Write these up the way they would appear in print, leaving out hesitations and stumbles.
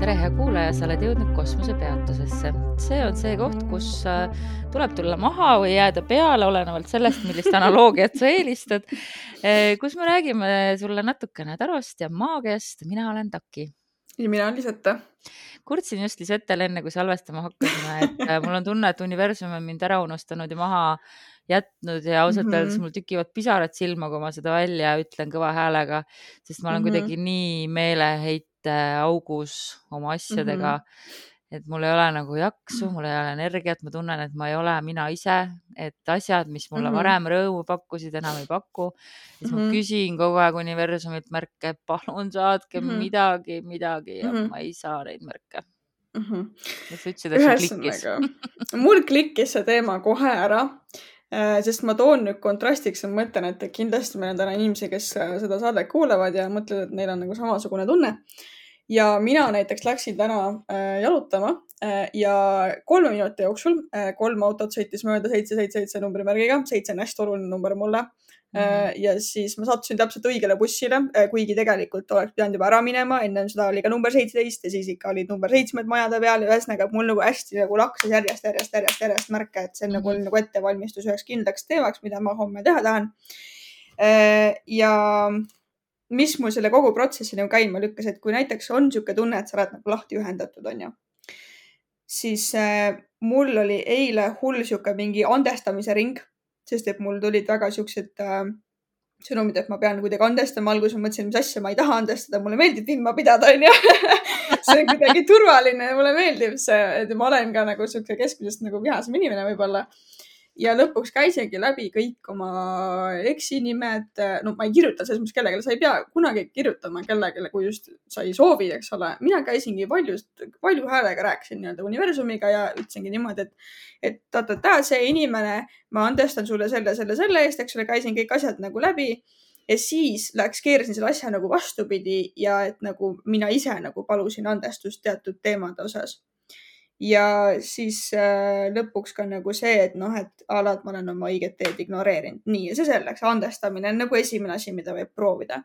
tere, hea kuulaja, sa oled jõudnud kosmosepeatusesse. See on see koht, kus tuleb tulla maha või jääda peale, olenevalt sellest, millist analoogiat sa eelistad, kus me räägime sulle natukene tarost ja maagiast. Mina olen Taki. Ja mina olen Lisette. Kurtsin just Lisettele enne, kui salvestama hakkasime, et mul on tunne, et universum on mind ära unustanud ja maha jätnud ja ausalt öeldes mul tükivad pisarad silma, kui ma seda välja ütlen kõva häälega, sest ma olen kuidagi nii meeleheite augus oma asjadega, et mul ei ole nagu jaksu, mul ei ole energiat, ma tunnen, et ma ei ole mina ise, et asjad, mis mulle varem rõõmu pakkusid, enam ei paku. Siis ma küsin kogu aeg universumilt märke, palun saatke midagi ja ma ei saa neid märke. Ja sa ütlesid, et see klikkis. Mul klikkis see teema kohe ära, sest ma toon nüüd kontrastiks ja mõtlen, et kindlasti meil on täna inimesi, kes seda saadet kuulavad ja mõtlevad, et neil on nagu samasugune tunne. Ja mina näiteks läksin täna jalutama ja 3 minuti jooksul 3 autot sõitis mööda 777 numbrimärgiga. 7 on hästi oluline number mulle. Ja siis ma sattusin täpselt õigele bussile, kuigi tegelikult oleks pidanud juba ära minema. Enne seda oli ka number 17 ja siis ikka olid number 7 majade peal ja ühesõnaga mul nagu hästi nagu lakses järjest märke, et see nagu oli nagu ettevalmistus üheks kindlaks teemaks, mida ma homme teha tahan. Ja mis mul selle kogu protsessi nagu käima lükkas, et kui näiteks on siuke tunne, et sa oled nagu lahti ühendatud, on ju, siis mul oli eile hull siuke mingi andestamise ring, sest et mul tulid väga siuksed sõnumid, et ma pean kuidagi andestama. Alguses ma mõtlesin, mis asja, ma ei taha andestada, mulle meeldib ilma pidada, on ju. See on kuidagi turvaline ja mulle meeldib see, et ma olen ka nagu siuke keskmisest nagu vihasem inimene võib-olla. Ja lõpuks käisingi läbi kõik oma eksinimed. No ma ei kirjuta selles mõttes kellelegi, sa ei pea kunagi kirjutama kellegele, kui just sa ei soovi, eks ole. Mina käisingi palju häälega rääkisin nii-öelda universumiga ja ütlesingi niimoodi, et see inimene, ma andestan sulle selle eest, eks ole, käisin kõik asjad nagu läbi ja siis keerasin selle asja nagu vastupidi ja et nagu mina ise nagu palusin andestust teatud teemade osas. Ja siis lõpuks ka nagu see, et et alati ma olen oma õiget teed ignoreerinud. Nii, ja see selleks andestamine on nagu esimene asi, mida võib proovida.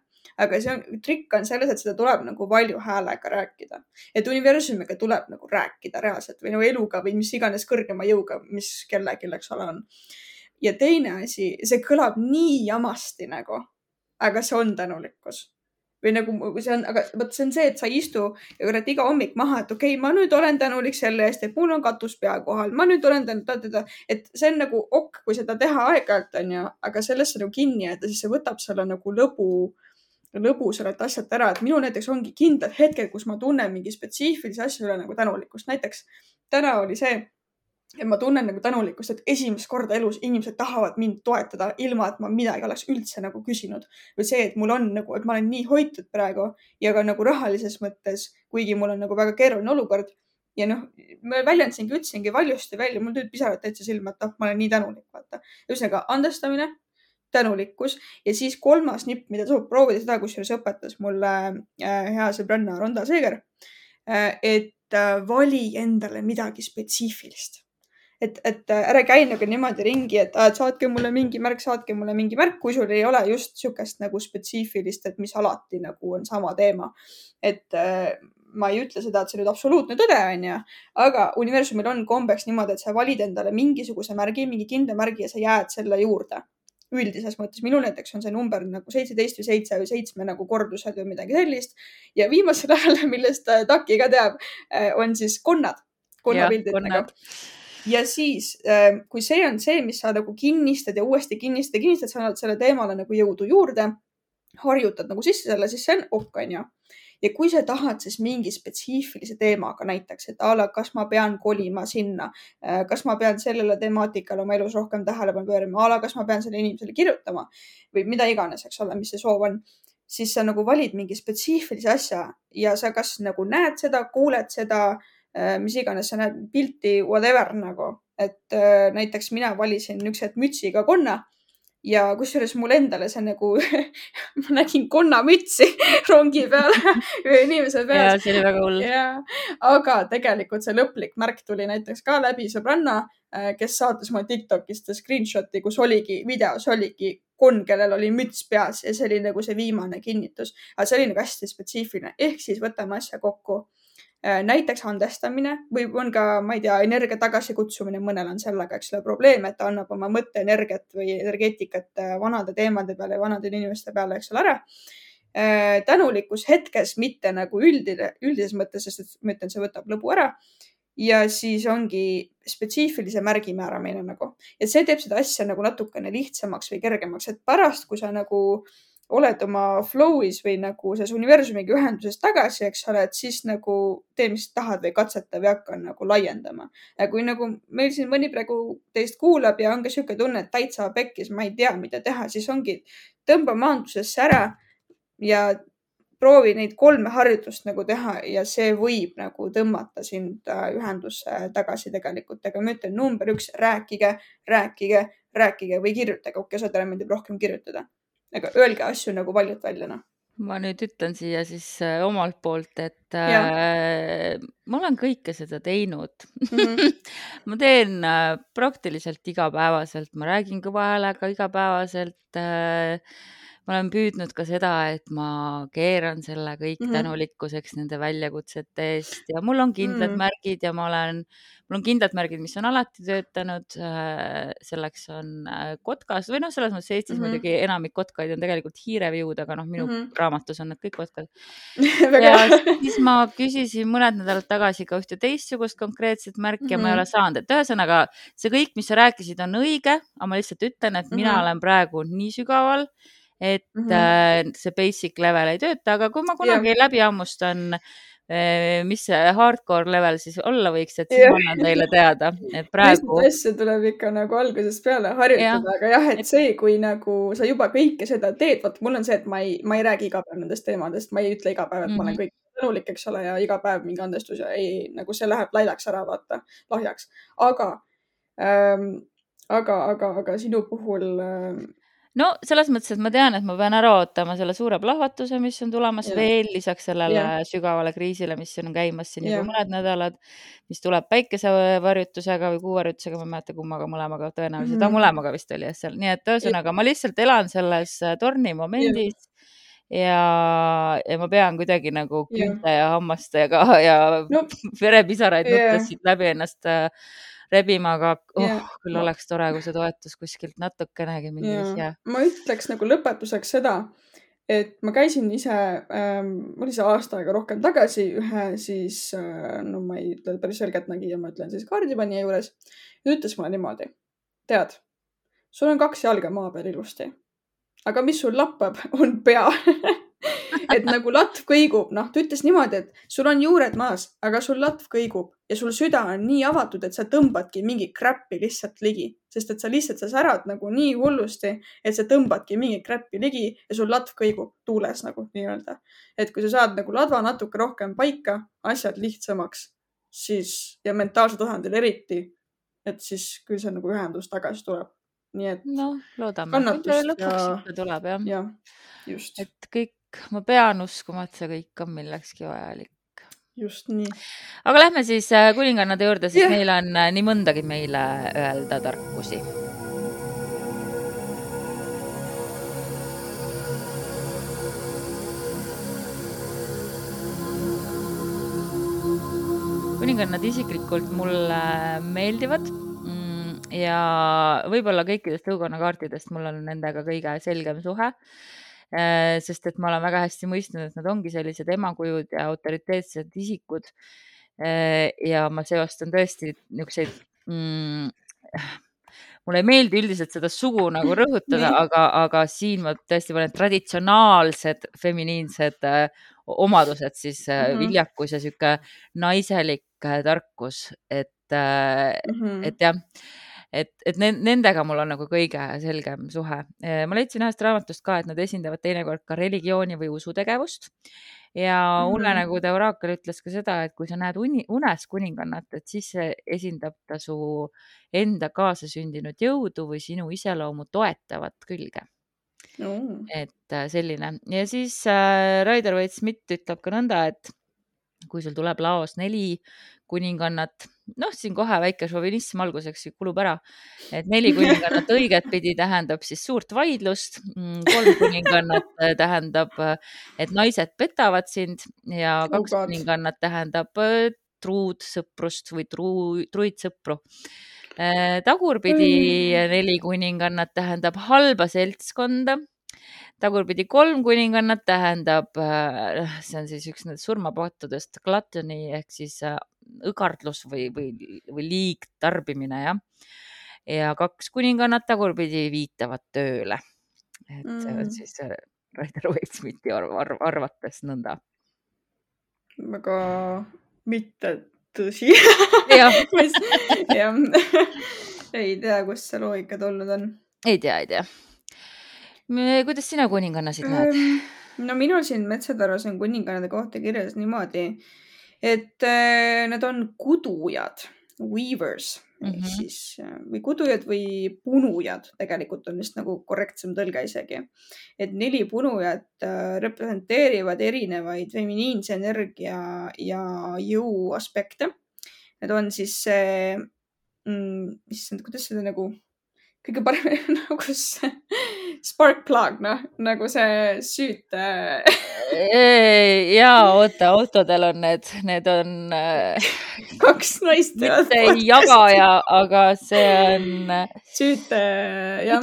Aga trikk on selles, et seda tuleb nagu valju häälega rääkida. Et universumiga tuleb nagu rääkida reaalselt või nagu eluga või mis iganes kõrgema jõuga, mis kellelgi on. Ja teine asi, see kõlab nii jamasti nagu, aga see on tänulikkus. Või nagu see on, aga see on see, et sa ei istu iga hommik maha, et okei, ma nüüd olen tänulik selle eest, et mul on katus pea kohal. Ma nüüd olen tänulik, et see on nagu kui seda teha aeg-ajalt on ju, aga sellesse nagu kinni jääda, siis see võtab selle nagu lõbu sellelt asjalt ära. Et minul näiteks ongi kindlad hetked, kus ma tunnen mingi spetsiifilise asja üle nagu tänulikkust. Näiteks täna oli see, et ma tunnen nagu tänulikkust, et esimest korda elus inimesed tahavad mind toetada ilma, et ma midagi oleks üldse nagu küsinud. Või see, et mul on nagu, et ma olen nii hoitud praegu ja ka nagu rahalises mõttes, kuigi mul on nagu väga keeruline olukord. Ja ma ütlesingi valjusti välja, mul tulid pisarad täitsa silma, et ma olen nii tänulik, vaata. Ühesõnaga andestamine, tänulikkus ja siis 3. nipp, mida tuleb proovida seda, kusjuures õpetas mulle hea sõbranna Ronda Seeger, et vali endale midagi spetsiifilist. Et ära käi nagu niimoodi ringi, et saatke mulle mingi märk, kui sul ei ole just siukest nagu spetsiifilist, et mis alati nagu on sama teema. Et ma ei ütle seda, et see nüüd absoluutne tõde on ju, aga universumil on kombeks niimoodi, et sa valid endale mingisuguse märgi, mingi kindla märgi ja sa jääd selle juurde. Üldises mõttes. Minul näiteks on see number nagu 17 või 7 või 7 nagu kordused või midagi sellist. Ja viimasel ajal, millest Taki ka teab, on siis konnapildid nagu. Ja siis, kui see on see, mis sa nagu kinnistad ja uuesti kinnistad, sa annad selle teemale nagu jõudu juurde, harjutad nagu sisse selle, siis see on on ju. Ja kui sa tahad siis mingi spetsiifilise teemaga näiteks, et kas ma pean kolima sinna, kas ma pean sellele temaatikale oma elus rohkem tähelepanu pöörama, kas ma pean selle inimesele kirjutama või mida iganes, eks ole, mis see soov on, siis sa nagu valid mingi spetsiifilise asja ja sa kas nagu näed seda, kuuled seda, mis iganes sa näed pilti, whatever nagu, et näiteks mina valisin üks hetk mütsiga konna ja kusjuures mul endale see nagu, ma nägin konnamütsi rongi peal ühe inimese peal. Ja see oli väga hull. Aga tegelikult see lõplik märk tuli näiteks ka läbi sõbranna, kes saatis mulle TikTokist screenshoti, kus videos oligi konn, kellel oli müts peas ja see oli nagu see viimane kinnitus. Aga see oli nagu hästi spetsiifiline. Ehk siis võtame asja kokku. näiteks andestamine või on ka, ma ei tea, energia tagasikutsumine, mõnel on sellega, eks ole, probleem, et ta annab oma mõtteenergiat või energeetikat vanade teemade peale ja vanade inimeste peale, eks ole, ära. Tänulikkus hetkes, mitte nagu üldises mõttes, sest et ma ütlen, see võtab lõbu ära. Ja siis ongi spetsiifilise märgi määramine nagu. Ja see teeb seda asja nagu natukene lihtsamaks või kergemaks, et pärast, kui sa nagu oled oma flow'is või nagu selles universumiga ühenduses tagasi, eks ole, et siis nagu tee, mis tahad või katseta või hakka nagu laiendama. Ja kui nagu meil siin mõni praegu teist kuulab ja on ka sihuke tunne, et täitsa pekkis, ma ei tea, mida teha, siis ongi tõmba maandusesse ära ja proovi neid 3 harjutust nagu teha ja see võib nagu tõmmata sind ühendusse tagasi tegelikult. Aga ma ütlen, number 1, rääkige või kirjutage. Okei, osadele meeldib rohkem kirjutada. Aga öelge asju nagu valjult välja, noh. Ma nüüd ütlen siia siis omalt poolt, et ma olen kõike seda teinud. Ma teen praktiliselt igapäevaselt, ma räägin kõva häälega igapäevaselt. Ma olen püüdnud ka seda, et ma keeran selle kõik tänulikkuseks nende väljakutsete eest ja mul on kindlad märgid ja mul on kindlad märgid, mis on alati töötanud. Selleks on kotkas või noh, selles mõttes Eestis muidugi enamik kotkaid on tegelikult hiireviud, aga noh, minu raamatus on need kõik kotkad. Ja siis ma küsisin mõned nädalad tagasi ka ühte teistsugust konkreetset märki ja ma ei ole saanud. Et ühesõnaga, see kõik, mis sa rääkisid, on õige, aga ma lihtsalt ütlen, et mina olen praegu nii sügaval, et see basic level ei tööta, aga kui ma kunagi läbi hammustan, mis see hardcore level siis olla võiks, et siis ma annan teile teada, et praegu. Lihtsalt asja tuleb ikka nagu algusest peale harjutada, aga jah, et see, kui nagu sa juba kõike seda teed, vaat mul on see, et ma ei räägi iga päev nendest teemadest, ma ei ütle iga päev, et ma olen kõik tänulik, eks ole, ja iga päev mingi andestus ja ei, nagu see läheb lailaks ära, vaata, lahjaks. Aga sinu puhul no selles mõttes, et ma tean, et ma pean ära ootama selle suure plahvatuse, mis on tulemas veel lisaks sellele sügavale kriisile, mis on käimas siin juba mõned nädalad, mis tuleb päikesevarjutusega või kuuvarjutusega, ma ei mäleta kummaga, mõlemaga tõenäoliselt, mõlemaga vist oli seal. Nii et ühesõnaga, ma lihtsalt elan selles torni momendis ja ma pean kuidagi nagu küünte ja hammastega ja verepisaraid nuttes siit läbi ennast rebima, aga küll oleks tore, kui see toetus kuskilt natukenegi mingis ja. Ma ütleks nagu lõpetuseks seda, et ma käisin ise, oli see aasta aega rohkem tagasi ühe siis, no ma ei ütle päris selgelt nägija, ma ütlen siis kaardipanija juures ja ütles mulle niimoodi, tead, sul on 2 jalga maa peal ilusti, aga mis sul lappab, on pea. Et nagu latv kõigub, noh, ta ütles niimoodi, et sul on juured maas, aga sul latv kõigub ja sul süda on nii avatud, et sa tõmbadki mingi crap'i lihtsalt ligi, sest et sa särad nagu nii hullusti, et sa tõmbadki mingi crap'i ligi ja sul latv kõigub tuules nagu nii-öelda. Et kui sa saad nagu ladva natuke rohkem paika, asjad lihtsamaks, siis ja mentaalse tasandil eriti, et siis küll see nagu ühendus tagasi tuleb. Nii et no, loodame, lõpuks ikka tuleb, jah. Ja, just. Et kõik, ma pean uskuma, et see kõik on millekski vajalik. Just nii. Aga lähme siis kuningannade juurde, siis meil on nii mõndagi meile öelda tarkusi. Kuningannad isiklikult mulle meeldivad ja võib-olla kõikidest tõukonnakaartidest mul on nendega kõige selgem suhe, sest et ma olen väga hästi mõistnud, et nad ongi sellised emakujud ja autoriteetsed isikud ja ma seostan tõesti niisuguseid, mulle ei meeldi üldiselt seda sugu nagu rõhutada, aga siin ma tõesti olen traditsionaalsed feminiinsed omadused, siis viljakus ja sihuke naiselik tarkus, et jah, et nendega mul on nagu kõige selgem suhe. Ma leidsin ühest raamatust ka, et nad esindavad teinekord ka religiooni või usutegevust ja unenägude oraakel ütles ka seda, et kui sa näed unes kuningannat, et siis see esindab ta su enda kaasasündinud jõudu või sinu iseloomu toetavat külge. Et selline. Ja siis Rider Waite Smith ütleb ka nõnda, et kui sul tuleb laos 4 kuningannat siin kohe väike šovinism alguseks kulub ära, et 4 kuningannat õiget pidi tähendab siis suurt vaidlust, 3 kuningannat tähendab, et naised petavad sind ja 2 kuningannat tähendab truud sõprust või truid sõpru. Tagurpidi 4 kuningannat tähendab halba seltskonda. Tagurpidi 3 kuningannat tähendab, see on siis üks nendest surmapattudest, gluttony ehk siis õgardlus või liigtarbimine, jah. Ja 2 kuningannat tagurpidi viitavad tööle. Et see on siis Rider-Waite-Smithi arvates nõnda. Väga mitte tõsi. Jah. Ei tea, kust see loogika tulnud on. Ei tea. Kuidas sina kuningannasid näed? No minul siin Metsataros on kuningannade kohta kirjas niimoodi, et nad on kudujad, weavers, ehk siis või kudujad või punujad, tegelikult on vist nagu korrektsem tõlge isegi. Et 4 punujat representeerivad erinevaid feminiinse energia ja jõu aspekte. Need on siis see, kuidas seda nagu kõige parem nagu see spark plug, nagu see süüte. Jaa, oota, autodel on need on 2 naist. mitte jagaja, aga see on süüte, jah.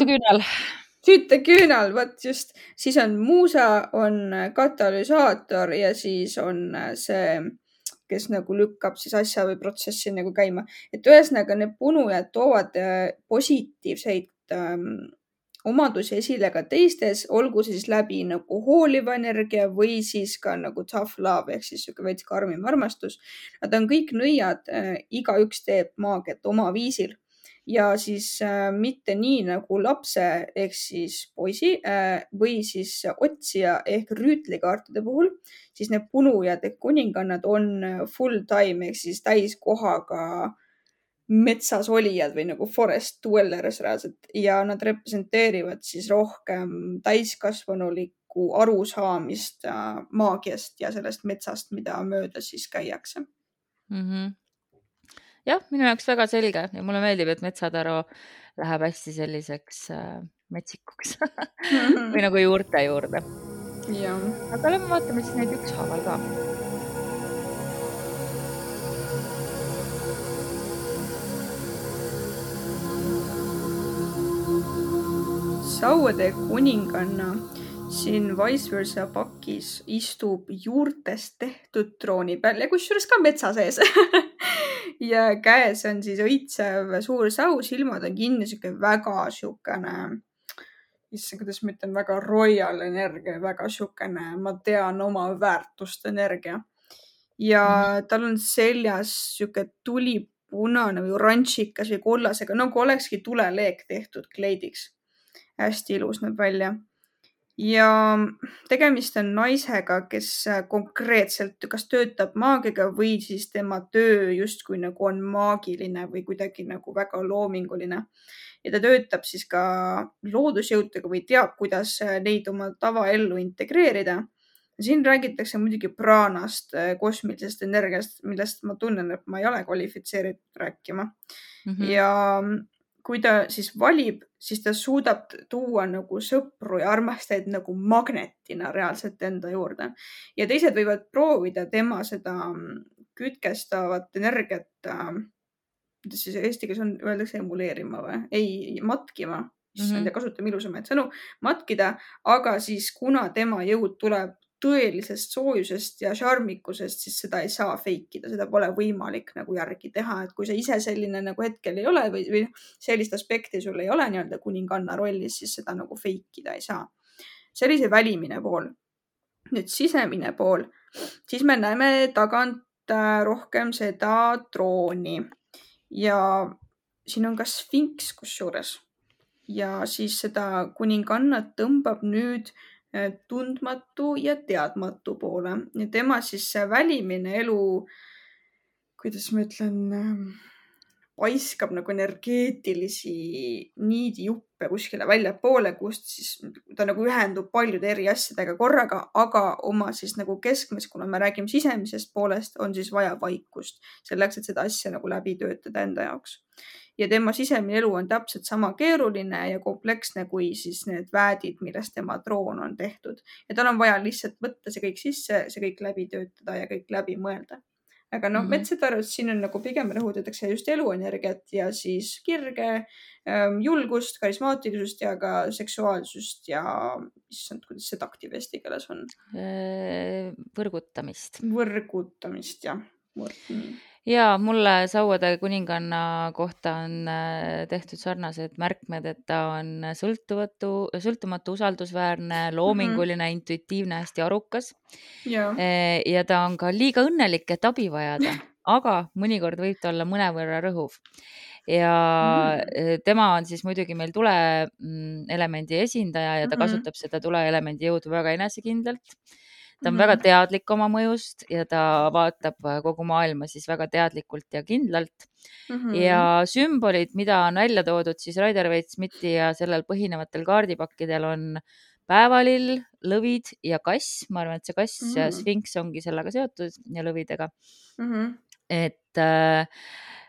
Süüteküünal, vot just. Siis on muusa, on katalüsaator ja siis on see, kes nagu lükkab siis asja või protsessi nagu käima. Et ühesõnaga need punujad toovad positiivseid omadusi esile ka teistes, olgu siis läbi nagu hooliva energia või siis ka nagu tough love ehk siis veits karmim armastus. Nad on kõik nõiad, igaüks teeb maagiat oma viisil ja siis mitte nii nagu lapse ehk siis poisi või siis otsija ehk rüütlikaartide puhul, siis need punujad ehk kuningannad on full time ehk siis täiskohaga metsas olijad või nagu forest dwellers reaalselt ja nad representeerivad siis rohkem täiskasvanulikku arusaamist maagiast ja sellest metsast, mida mööda siis käiakse. Jah, minu jaoks väga selge ja mulle meeldib, et Metsataro läheb hästi selliseks metsikuks või nagu juurte juurde. Aga lähme vaatame siis neid ükshaaval ka. Sauade kuninganna siin vice versa pakis istub juurtest tehtud trooni peal ja kusjuures ka metsa sees. Ja käes on siis õitsev suur sau, silmad on kinni, väga siukene, kuidas ma ütlen, väga royal energia, väga siukene, ma tean oma väärtust energia. Ja tal on seljas siuke tulipunane või oranžikas või kollasega, nagu olekski tuleleek tehtud kleidiks. Hästi ilus näeb välja. Ja tegemist on naisega, kes konkreetselt kas töötab maagiga või siis tema töö justkui nagu on maagiline või kuidagi nagu väga loominguline. Ja ta töötab siis ka loodusjõududega või teab, kuidas neid oma tavaellu integreerida. Siin räägitakse muidugi praanast, kosmilisest energiast, millest ma tunnen, et ma ei ole kvalifitseeritud rääkima. Ja kui ta siis valib, siis ta suudab tuua nagu sõpru ja armastajaid nagu magnetina reaalselt enda juurde. Ja teised võivad proovida tema seda kütkestavat energiat, kuidas siis eesti keeles on, öeldakse emuleerima või? Ei, matkima. Kasutame ilusamaid sõnu. Matkida, aga siis kuna tema jõud tuleb tõelisest soojusest ja šarmikusest, siis seda ei saa feikida, seda pole võimalik nagu järgi teha, et kui sa ise selline nagu hetkel ei ole või sellist aspekti sul ei ole nii-öelda kuninganna rollis, siis seda nagu feikida ei saa. See oli see välimine pool. Nüüd sisemine pool, siis me näeme tagant rohkem seda trooni ja siin on ka sfinks kusjuures ja siis seda kuningannat tõmbab nüüd tundmatu ja teadmatu poole ja tema siis see välimine elu, kuidas ma ütlen, paiskab nagu energeetilisi niidijuppe kuskile väljapoole, kust siis ta nagu ühendub paljude eri asjadega korraga, aga oma siis nagu keskmes, kuna me räägime sisemisest poolest, on siis vaja vaikust selleks, et seda asja nagu läbi töötada enda jaoks. Ja tema sisemine elu on täpselt sama keeruline ja kompleksne kui siis need väädid, millest tema troon on tehtud. Ja tal on vaja lihtsalt võtta see kõik sisse, see kõik läbi töötada ja kõik läbi mõelda. Aga noh, Metsatarus siin on nagu pigem rõhutatakse just eluenergiat ja siis kirge, julgust, karismaatilisust ja ka seksuaalsust ja kuidas see taktiv eesti keeles on? Võrgutamist. Võrgutamist, jah. Ja mulle Sauade kuninganna kohta on tehtud sarnased märkmed, et ta on sõltumatu, usaldusväärne, loominguline, intuitiivne, hästi arukas. Ja ta on ka liiga õnnelik, et abi vajada, aga mõnikord võib ta olla mõnevõrra rõhuv. Ja tema on siis muidugi meil tuleelemendi esindaja ja ta kasutab seda tuleelemendi jõudu väga enesekindlalt. Ta on väga teadlik oma mõjust ja ta vaatab kogu maailma siis väga teadlikult ja kindlalt. Ja sümbolid, mida on välja toodud siis Rider-Waite-Smithi ja sellel põhinevatel kaardipakkidel on päevalill, lõvid ja kass. Ma arvan, et see kass ja sfinks ongi sellega seotud ja lõvidega. Et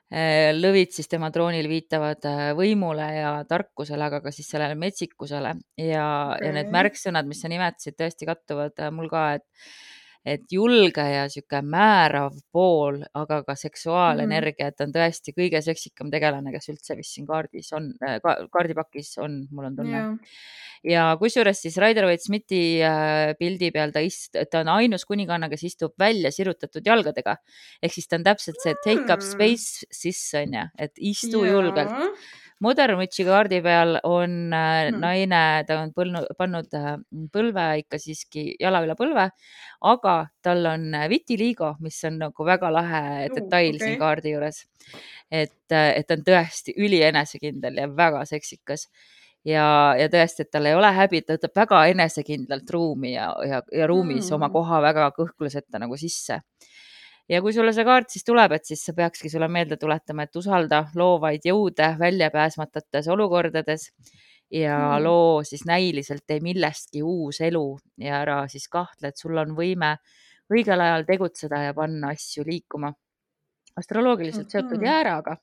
lõvid siis tema troonil viitavad võimule ja tarkusele, aga ka siis sellele metsikusele ja need märksõnad, mis sa nimetasid, tõesti kattuvad mul ka, et julge ja siuke määrav pool, aga ka seksuaalenergia, et on tõesti kõige seksikam tegelane, kes üldse vist siin kaardipakis on, mul on tunne. Ja kusjuures siis Rider-Waite-Smithi pildi peal ta on ainus kuninganna, kes istub välja sirutatud jalgadega. Ehk siis ta on täpselt see take up space sisse, et istu julgelt. Modern Witchi kaardi peal on naine, ta on pannud põlve ikka siiski jala üle põlve, aga tal on vitiligo, mis on nagu väga lahe detail siin kaardi juures. Et ta on tõesti ülienesekindel ja väga seksikas. Ja tõesti, et tal ei ole häbi, ta võtab väga enesekindlalt ruumi ja ruumis oma koha väga kõhkluseta nagu sisse. Ja kui sulle see kaart siis tuleb, et siis sa peakski sulle meelde tuletama, et usalda loovaid jõude väljapääsmatutes olukordades ja loo siis näiliselt ei millestki uus elu ja ära siis kahtle, et sul on võime õigel ajal tegutseda ja panna asju liikuma. Astroloogiliselt seotud jääraga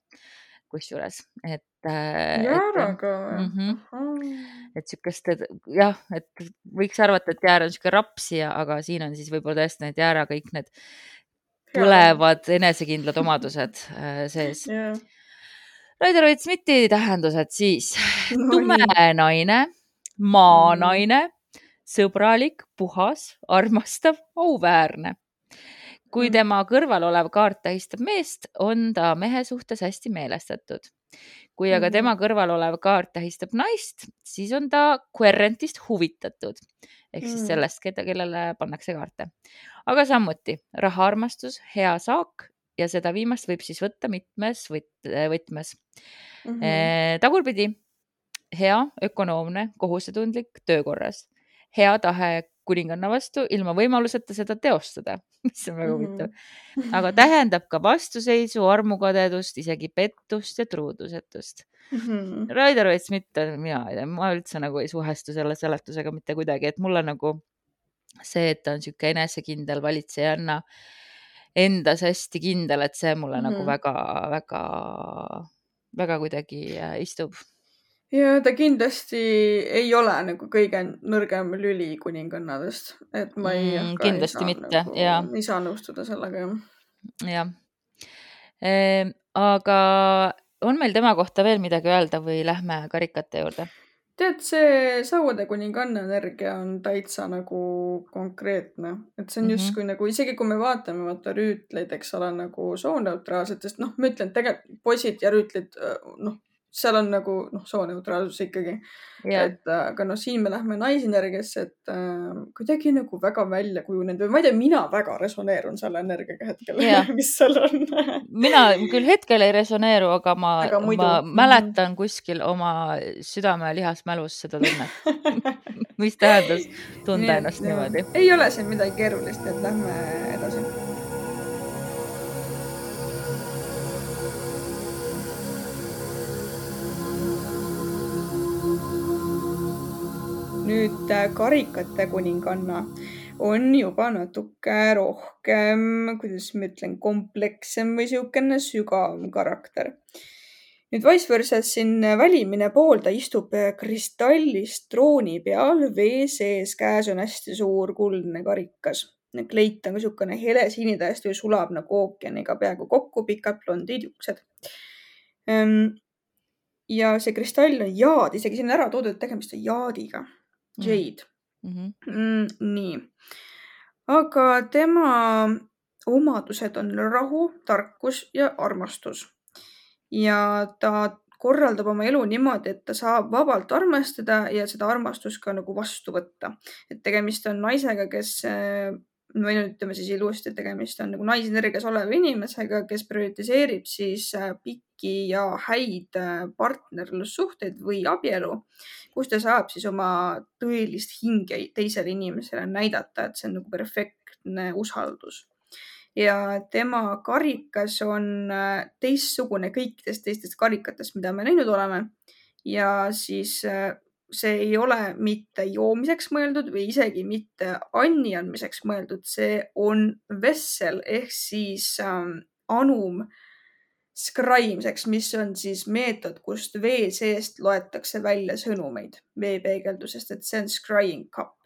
kusjuures, jääraga või? Et sükest, jah, et võiks arvata, et jäär on siuke rapsi, aga siin on siis võib-olla tõesti need jäära kõik need põlevad enesekindlad omadused sees. Rider-Waite-Smithi tähendused siis tume naine, maanaine, sõbralik, puhas, armastav, auväärne. Kui tema kõrval olev kaart tähistab meest, on ta mehe suhtes hästi meelestatud. Kui aga tema kõrval olev kaart tähistab naist, siis on ta querentist huvitatud. Ehk siis sellest, kellele pannakse kaarte. Aga samuti rahaarmastus, hea saak ja seda viimast võib siis võtta mitmes võtmes. Tagurpidi, hea, ökonoomne, kohusetundlik, töökorras. Hea tahe kuninganna vastu ilma võimaluseta seda teostada, mis on väga huvitav. Aga tähendab ka vastuseisu, armukadedust, isegi pettust ja truudusetust. Rider-Waite-Smith, ma üldse nagu ei suhestu selle seletusega mitte kuidagi, et mul on nagu see, et ta on siuke enesekindel valitsejanna endas hästi kindel, et see mulle nagu väga kuidagi istub. Ja ta kindlasti ei ole nagu kõige nõrgem lüli kuningannadest, et ma ei saa nõustuda sellega. Jah. Aga on meil tema kohta veel midagi öelda või lähme karikate juurde? Tead, see Sauade kuninganna energia on täitsa nagu konkreetne, et see on justkui nagu, isegi kui me vaatame vaata rüütleid, eks ole, nagu sooneutraalsetest, ma ütlen, tegelikult poisid ja rüütlid, seal on nagu sooneutraalsus ikkagi. Aga siin me lähme naisenergiasse, et kuidagi nagu väga välja kujunenud või ma ei tea, mina väga resoneerun selle energiaga hetkel, mis seal on. Mina küll hetkel ei resoneeru, aga ma mäletan kuskil oma südame lihasmälus seda tunnet. Mis tähendas tunda ennast niimoodi? Ei ole siin midagi keerulist, et lähme edasi. nüüd karikate kuninganna on juba natuke rohkem, kuidas ma ütlen, komplekssem või niisugune sügavam karakter. Nüüd vice versa siin välimine pool, ta istub kristallist trooni peal, vee sees, käes on hästi suur kuldne karikas. Kleit on ka niisugune helesini, täiesti sulab nagu ookeaniga peaaegu kokku, pikad blondid juuksed. Ja see kristall on jaad, isegi siin on ära toodud, et tegemist on jaadiga. Jade. Nii. Aga tema omadused on rahu, tarkus ja armastus. Ja ta korraldab oma elu niimoodi, et ta saab vabalt armastada ja seda armastust ka nagu vastu võtta. Et tegemist on naisega, kes, või ütleme siis ilusti, et tegemist on nagu naisenergias oleva inimesega, kes prioritiseerib siis pikki ja häid partnerlussuhteid või abielu, kus ta saab siis oma tõelist hinge teisele inimesele näidata, et see on nagu perfektne usaldus. Ja tema karikas on teistsugune kõikidest teistest karikatest, mida me näinud oleme. Ja siis see ei ole mitte joomiseks mõeldud või isegi mitte anni andmiseks mõeldud. See on vessel ehk siis anum skraimiseks, mis on siis meetod, kust vee seest loetakse välja sõnumeid veepeegeldusest, et see on scrying cup.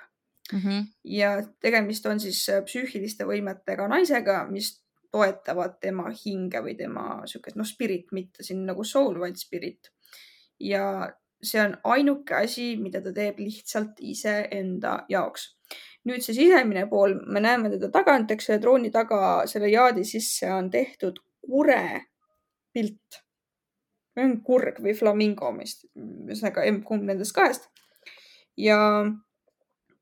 Ja tegemist on siis psüühiliste võimetega naisega, mis toetavad tema hinge või tema spirit, mitte siin nagu soul, vaid spirit. Ja see on ainuke asi, mida ta teeb lihtsalt iseenda jaoks. Nüüd see sisemine pool, me näeme teda tagant, eks selle trooni taga, selle jaadi sisse on tehtud kure pilt. On kurg või flamingo, ühesõnaga kumb nendest kahest. Ja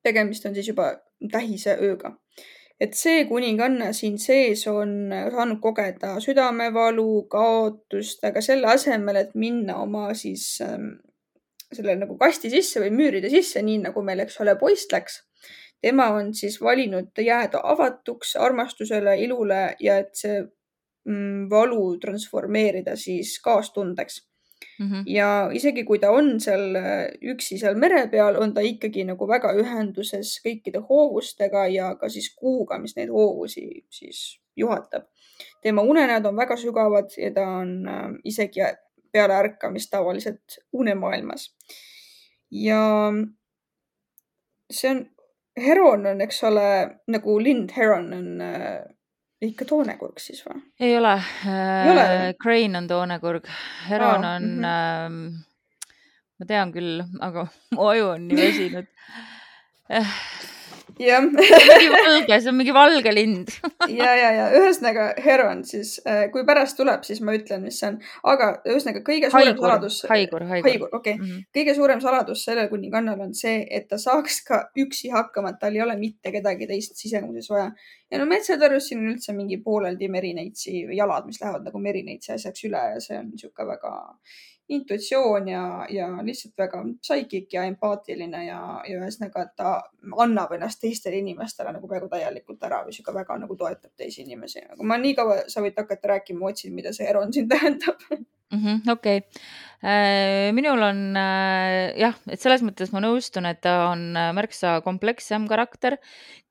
tegemist on siis juba tähise ööga. Et see kuninganna siin sees on saanud kogeda südamevalu, kaotust, aga selle asemel, et minna oma siis selle nagu kasti sisse või müüride sisse, nii nagu meil, eks ole, poist läks. Tema on siis valinud jääda avatuks armastusele, ilule ja et see valu transformeerida siis kaastundeks. Ja isegi kui ta on seal üksi seal mere peal, on ta ikkagi nagu väga ühenduses kõikide hoovustega ja ka siis kuuga, mis neid hoovusi siis juhatab. Tema unenäod on väga sügavad ja ta on isegi peale ärkamist tavaliselt unemaailmas. Ja see on, Heron on, eks ole, nagu lind Heron on ikka toonekurg siis või? Ei ole. Crane on toonekurg. Heron on, ma tean küll, aga mu aju on nii väsinud. Jah. See on mingi valge lind. ja. Ühesõnaga Heron siis, kui pärast tuleb, siis ma ütlen, mis see on. Aga ühesõnaga kõige suurem saladus. Haigur. Okay. Kõige suurem saladus sellel kuningannal on see, et ta saaks ka üksi hakkama, et tal ei ole mitte kedagi teist sisemuses vaja. Ja no metsatarus siin on üldse mingi pooleldi merineitsi jalad, mis lähevad nagu merineitsi asjaks üle ja see on niisugune väga intuitsioon ja lihtsalt väga psychic ja empaatiline ja ühesõnaga, et ta annab ennast teistele inimestele nagu peaaegu täielikult ära või siuke väga nagu toetab teisi inimesi. Aga ma nii kaua sa võid hakata rääkima, ma otsin, mida see Heron siin tähendab. Okei. Minul on jah, et selles mõttes ma nõustun, et ta on märksa komplekssem karakter,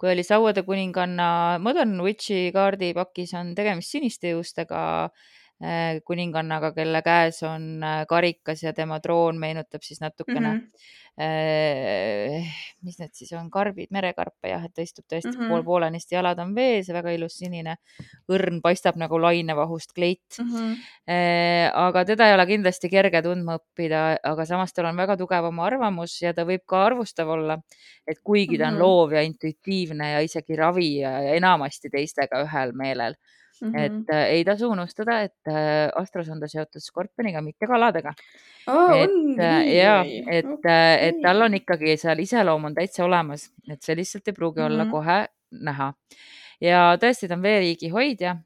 kui oli Sauade kuninganna Modern Witchi kaardipakis on tegemist siniste juustega kuningannaga, kelle käes on karikas ja tema troon meenutab siis natukene mis need siis on, karbid, merekarpe jah, et ta istub tõesti poolenisti, jalad on vees ja väga ilus sinine õrn paistab nagu lainevahust kleit. Aga teda ei ole kindlasti kerge tundma õppida, aga samas tal on väga tugev oma arvamus ja ta võib ka arvustav olla, et kuigi ta on loov ja intuitiivne ja isegi ravi ja enamasti teistega ühel meelel. Et ei tasu unustada, et Astros on ta seotud skorpioniga, mitte kaladega. Et tal on ikkagi seal iseloom on täitsa olemas, et see lihtsalt ei pruugi olla kohe näha. Ja tõesti, ta on veeriigi hoidja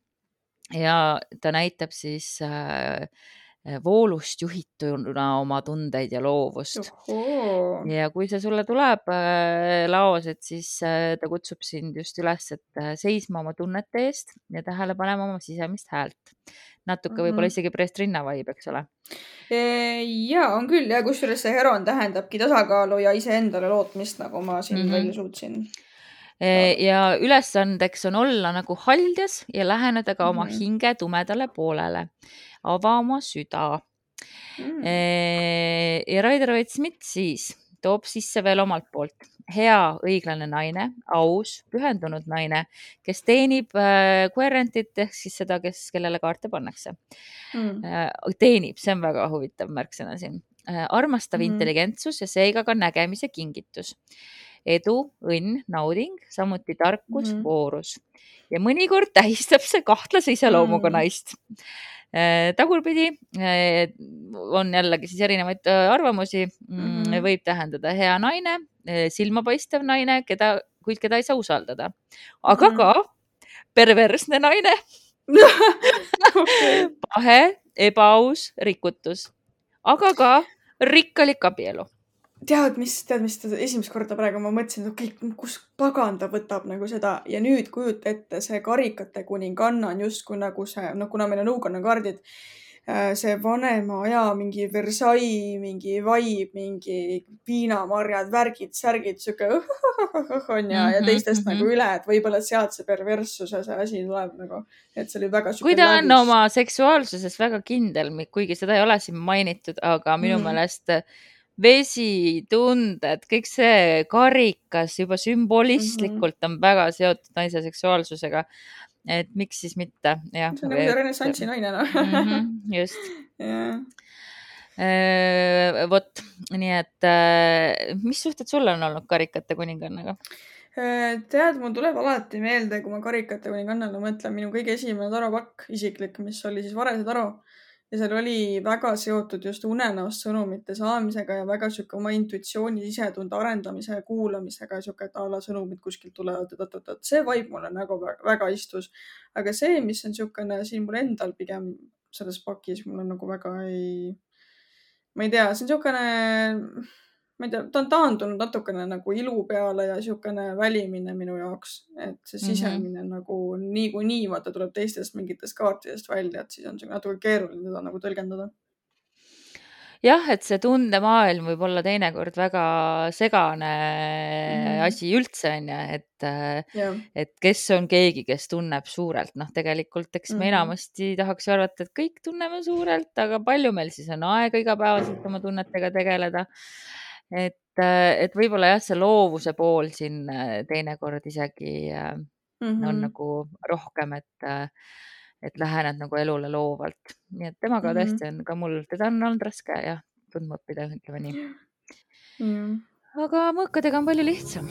ja ta näitab siis voolust juhituna oma tundeid ja loovust. Ohoo. Ja kui see sulle tuleb laos, et siis ta kutsub sind just üles, et seisma oma tunnete eest ja tähele panema oma sisemist häält. Natuke võib-olla isegi Prestrina vibe, eks ole. Ja on küll ja kusjuures see Heron tähendabki tasakaalu ja iseendale lootmist, nagu ma siin välja suutsin. Ja ülesandeks on olla nagu haldjas ja läheneda ka oma hinge tumedale poolele. Ava oma süda. Ja Rider-Waite-Smith siis toob sisse veel omalt poolt hea, õiglane naine, aus, pühendunud naine, kes teenib querentit ehk siis seda, kellele kaarte pannakse. Teenib, see on väga huvitav märksõna siin. Armastav intelligentsus ja seega ka nägemise kingitus. Edu, õnn, nauding, samuti tarkus, voorus. Ja mõnikord tähistab see kahtlase iseloomuga naist. Tagurpidi on jällegi siis erinevaid arvamusi. Võib tähendada hea naine, silmapaistev naine, kuid keda ei saa usaldada. Aga ka perversne naine. Pahe, ebaaus, rikutus. Aga ka rikkalik abielu. Tead, mis esimest korda praegu ma mõtlesin, et okei, kus pagan ta võtab nagu seda ja nüüd kujuta ette see karikate kuninganna on justkui nagu see, kuna meil on õukonnakaardid, see vanema aja mingi Versailles, mingi vibe, mingi viinamarjad, värgid, särgid, siuke on ja teistest nagu üle, et võib-olla sealt see perverssuse see asi tuleb nagu, et see oli väga siuke. Kui ta on oma seksuaalsuses väga kindel, kuigi seda ei ole siin mainitud, aga minu meelest vesi, tunded, kõik see karikas juba sümbolistlikult on väga seotud naise seksuaalsusega. Et miks siis mitte? Ja, see on nagu see renessansi naine, no. Just. Vot, nii et mis suhted sulle on olnud karikate kuningannaga? Tead, mul tuleb alati meelde, kui ma karikate kuningannale mõtlen, minu kõige esimene taropakk isiklik, mis oli siis Varese taro. Ja seal oli väga seotud just unenäost sõnumite saamisega ja väga siuke oma intuitsiooni sisetunde arendamise ja kuulamisega ja siuke, et a la sõnumid kuskilt tulevad. See vibe mulle nagu väga istus. Aga see, mis on siukene siin mul endal pigem selles pakis, mul on nagu väga ma ei tea, see on siukene, ma ei tea, ta on taandunud natukene nagu ilu peale ja siukene välimine minu jaoks, et see sisemine nagu nii vaata tuleb teistest mingitest kaartidest välja, et siis on see natuke keeruline seda nagu tõlgendada. Jah, et see tundemaailm võib olla teinekord väga segane asi üldse, on ju, et kes on keegi, kes tunneb suurelt. Tegelikult, eks me enamasti tahaks arvata, et kõik tunneme suurelt, aga palju meil siis on aega igapäevaselt oma tunnetega tegeleda. Et võib-olla jah, see loovuse pool siin teinekord isegi on nagu rohkem, et lähened nagu elule loovalt. Nii et temaga tõesti on ka mul, teda on olnud raske jah, tundma õppida, ütleme nii. Aga mõõkadega on palju lihtsam.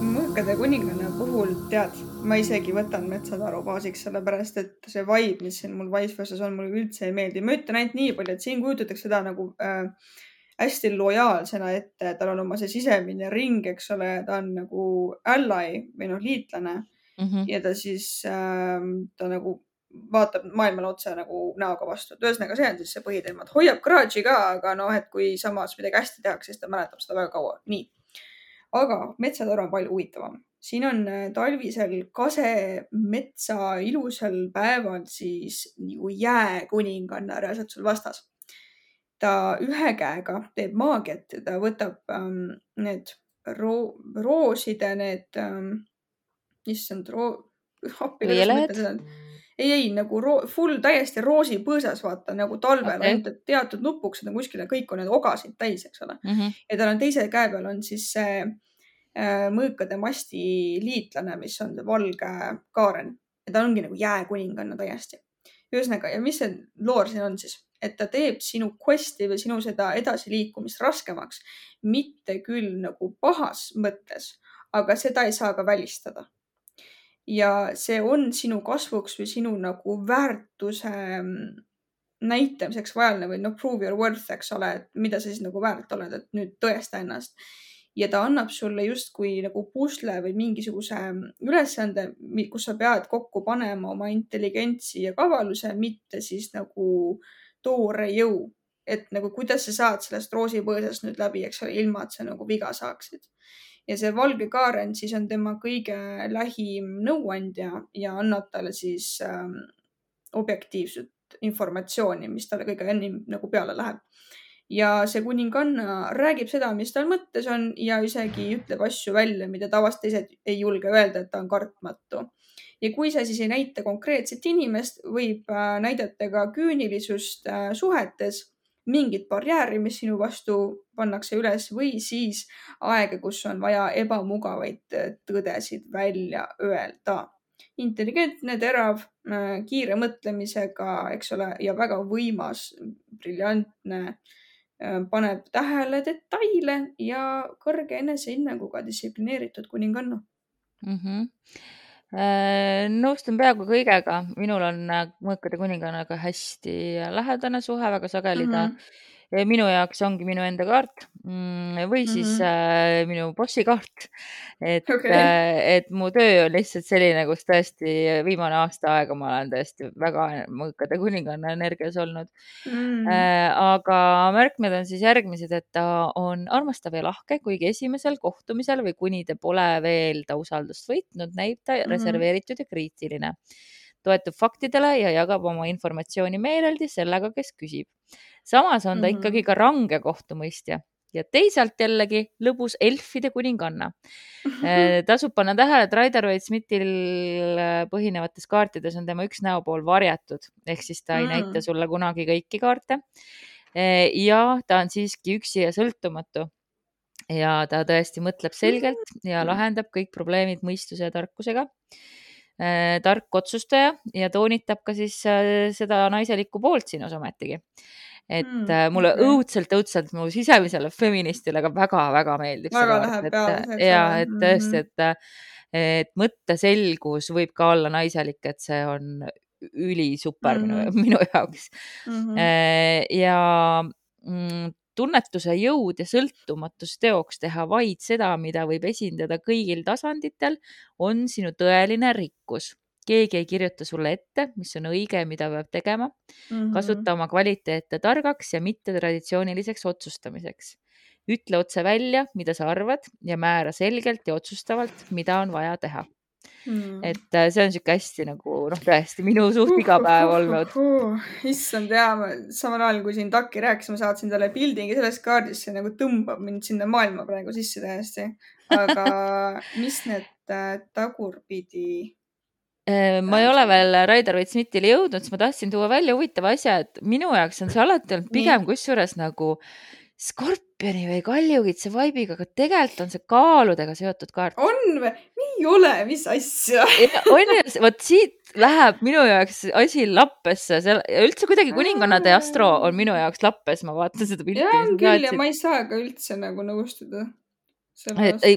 Mõõkade kuninganna puhul, tead, ma isegi võtan metsataru baasiks, sellepärast, et see vibe, mis siin mul vice versa on, mulle üldse ei meeldi. Ma ütlen ainult nii palju, et siin kujutatakse seda nagu hästi lojaalsena ette, tal on oma see sisemine ring, eks ole, ta on nagu ally või liitlane ja ta siis ta nagu vaatab maailmale otse nagu näoga vastu. Et ühesõnaga, see on siis see põhiteema, et hoiab kraadži ka, aga et kui samas midagi hästi tehakse, siis ta mäletab seda väga kaua. Nii. Aga metsataru on palju huvitavam. Siin on talvisel kasemetsa ilusal päeval siis nagu jääkuninganna reaalselt sul vastas. Ta ühe käega teeb maagiat ja ta võtab need rooside, need, issand, ei, nagu full täiesti roosipõõsas, vaata, nagu talvel ainult, et teatud nupuksed on kuskile, kõik on need ogasid täis, eks ole. Ja tal on teise käe peal on siis see mõõkade masti liitlane, mis on see valge kaaren. Ja ta ongi nagu jääkuninganna täiesti. Ühesõnaga, ja mis see loor siin on siis? Et ta teeb sinu questi või sinu seda edasiliikumist raskemaks. Mitte küll nagu pahas mõttes, aga seda ei saa ka välistada. Ja see on sinu kasvuks või sinu nagu väärtuse näitamiseks vajaline või prove your worth, eks ole, et mida sa siis nagu väärt oled, et nüüd tõesta ennast. Ja ta annab sulle justkui nagu pusle või mingisuguse ülesande, kus sa pead kokku panema oma intelligentsi ja kavaluse, mitte siis nagu toore jõu. Et nagu kuidas sa saad sellest roosipõõsast nüüd läbi, eks ole, ilma et sa nagu viga saaksid. Ja see valge kaaren siis on tema kõige lähim nõuandja ja annab talle siis objektiivset informatsiooni, mis talle kõige ennim nagu peale läheb. Ja see kuninganna räägib seda, mis tal mõttes on ja isegi ütleb asju välja, mida tavaliselt teised ei julge öelda, et ta on kartmatu. Ja kui sa siis ei näita konkreetset inimest, võib näidata ka küünilisust suhetes, mingit barjääri, mis sinu vastu pannakse üles või siis aega, kus on vaja ebamugavaid tõdesid välja öelda. Intelligentne, terav, kiire mõtlemisega, eks ole, ja väga võimas, briljantne, paneb tähele detaile ja kõrge enesehinnanguga distsiplineeritud kuninganna. Nõustun peaaegu kõigega. Minul on mõõkade kuningannaga hästi lähedane suhe, väga sageli ta minu jaoks ongi minu enda kaart või siis minu bossi kaart. Et mu töö on lihtsalt selline, kus tõesti viimane aasta aega ma olen tõesti väga mõõkade kuninganna energias olnud. Aga märkmed on siis järgmised, et ta on armastav ja lahke, kuigi esimesel kohtumisel või kuni te pole veel ta usaldust võitnud, näib ta reserveeritud ja kriitiline. Toetub faktidele ja jagab oma informatsiooni meeleldi sellega, kes küsib. Samas on ta ikkagi ka range kohtumõistja ja teisalt jällegi lõbus elfide kuninganna. Tasub panna tähele, et Rider-Waite-Smithil põhinevates kaartides on tema üks näopool varjatud, ehk siis ta ei näita sulle kunagi kõiki kaarte. Ja ta on siiski üksi ja sõltumatu ja ta tõesti mõtleb selgelt ja lahendab kõik probleemid mõistuse ja tarkusega. Tark otsustaja ja toonitab ka siis seda naiselikku poolt sinus ometigi. Et mulle õudselt mu sisemisele feministile ka väga-väga meeldib. Väga läheb peale. Ja, et tõesti, et mõtteselgus võib ka olla naiselik, et see on ülisuper minu jaoks. Ja tunnetuse jõud ja sõltumatus teoks teha vaid seda, mida võib esindada kõigil tasanditel, on sinu tõeline rikkus. Keegi ei kirjuta sulle ette, mis on õige, mida peab tegema. Kasuta oma kvaliteete targaks ja mitte traditsiooniliseks otsustamiseks. Ütle otse välja, mida sa arvad ja määra selgelt ja otsustavalt, mida on vaja teha. Et see on siuke hästi nagu, tõesti minu suht iga päev olnud. Issand, samal ajal kui siin Taki rääkis, ma saatsin talle pildi sellest kaardist, see nagu tõmbab mind sinna maailma praegu sisse täiesti. Aga mis need tagurpidi? Ma ei ole veel Rider-Waite-Smithile jõudnud, siis ma tahtsin tuua välja huvitava asja, et minu jaoks on see alati olnud pigem kusjuures nagu skorpioni või kaljukitse vaibiga, aga tegelikult on see kaaludega seotud kaart. On või? Nii ole, mis asja? On ju, võt siit läheb minu jaoks asi lappesse. Üldse kuidagi kuningannade astro on minu jaoks lappes, ma vaatan seda pilti. Ja on küll ja ma ei saa ka üldse nagu nõustuda.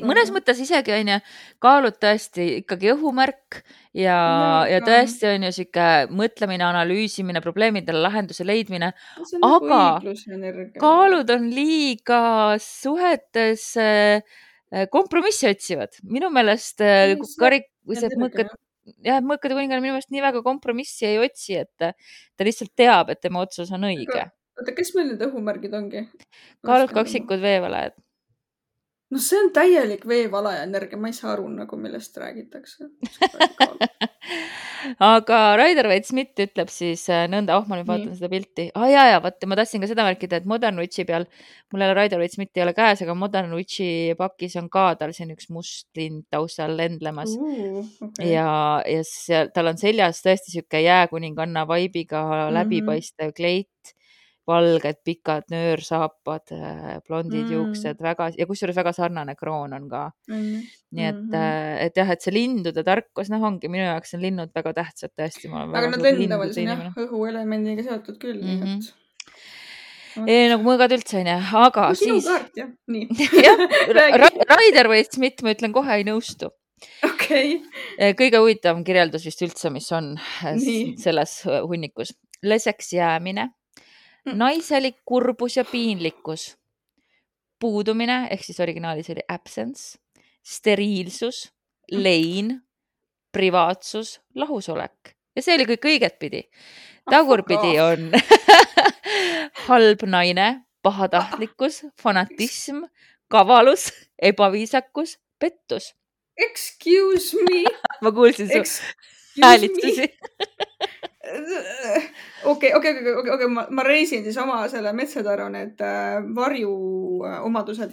Mõnes mõttes isegi on ju kaalud tõesti ikkagi õhumärk ja tõesti on ju siuke mõtlemine, analüüsimine, probleemidele lahenduse leidmine, aga kaalud on liiga suhetes kompromissi otsivad. Minu meelest mõõkade kuninganna minu meelest nii väga kompromissi ei otsi, et ta lihtsalt teab, et tema otsus on õige. Oota, kes meil need õhumärgid ongi? Kaalud, kaksikud, veevalajad. No see on täielik veevalaja energia, ma ei saa aru nagu millest räägitakse. Aga Rider-Waite-Smith ütleb siis nõnda, ma nüüd vaatan seda pilti. Vaata, ma tahtsin ka seda märkida, et Modern Witchi peal, mul Rider-Waite-Smith ei ole käes, aga Modern Witchi pakis on ka tal siin üks must lind taustal lendlemas. Ja tal on seljas tõesti siuke jääkuninganna vaibiga läbipaistev kleit. Valged, pikad nöörsaapad, blondid juuksed, ja kusjuures väga sarnane kroon on ka. Nii et jah, et see lindude tarkus, ongi minu jaoks on linnud väga tähtsad tõesti. Aga nad lendavad siin õhuelemendiga seotud küll. Nagu mõõgad üldse, aga sinu kaart, jah. Nii. Rider-Waite-Smith, ma ütlen kohe ei nõustu. Okay. Kõige huvitavam kirjeldus vist üldse, mis on selles hunnikus. leseks jäämine, naiselik kurbus ja piinlikkus, puudumine, ehk siis originaalis oli absence, steriilsus, lein, privaatsus, lahusolek. Ja see oli kõik õigetpidi. Tagurpidi on halb naine, pahatahtlikkus, fanatism, kavalus, ebaviisakus, pettus. Excuse me. Ma kuulsin su häälitsusi. Okei, ma reisin siis oma selle Metsataru need varjuomadused.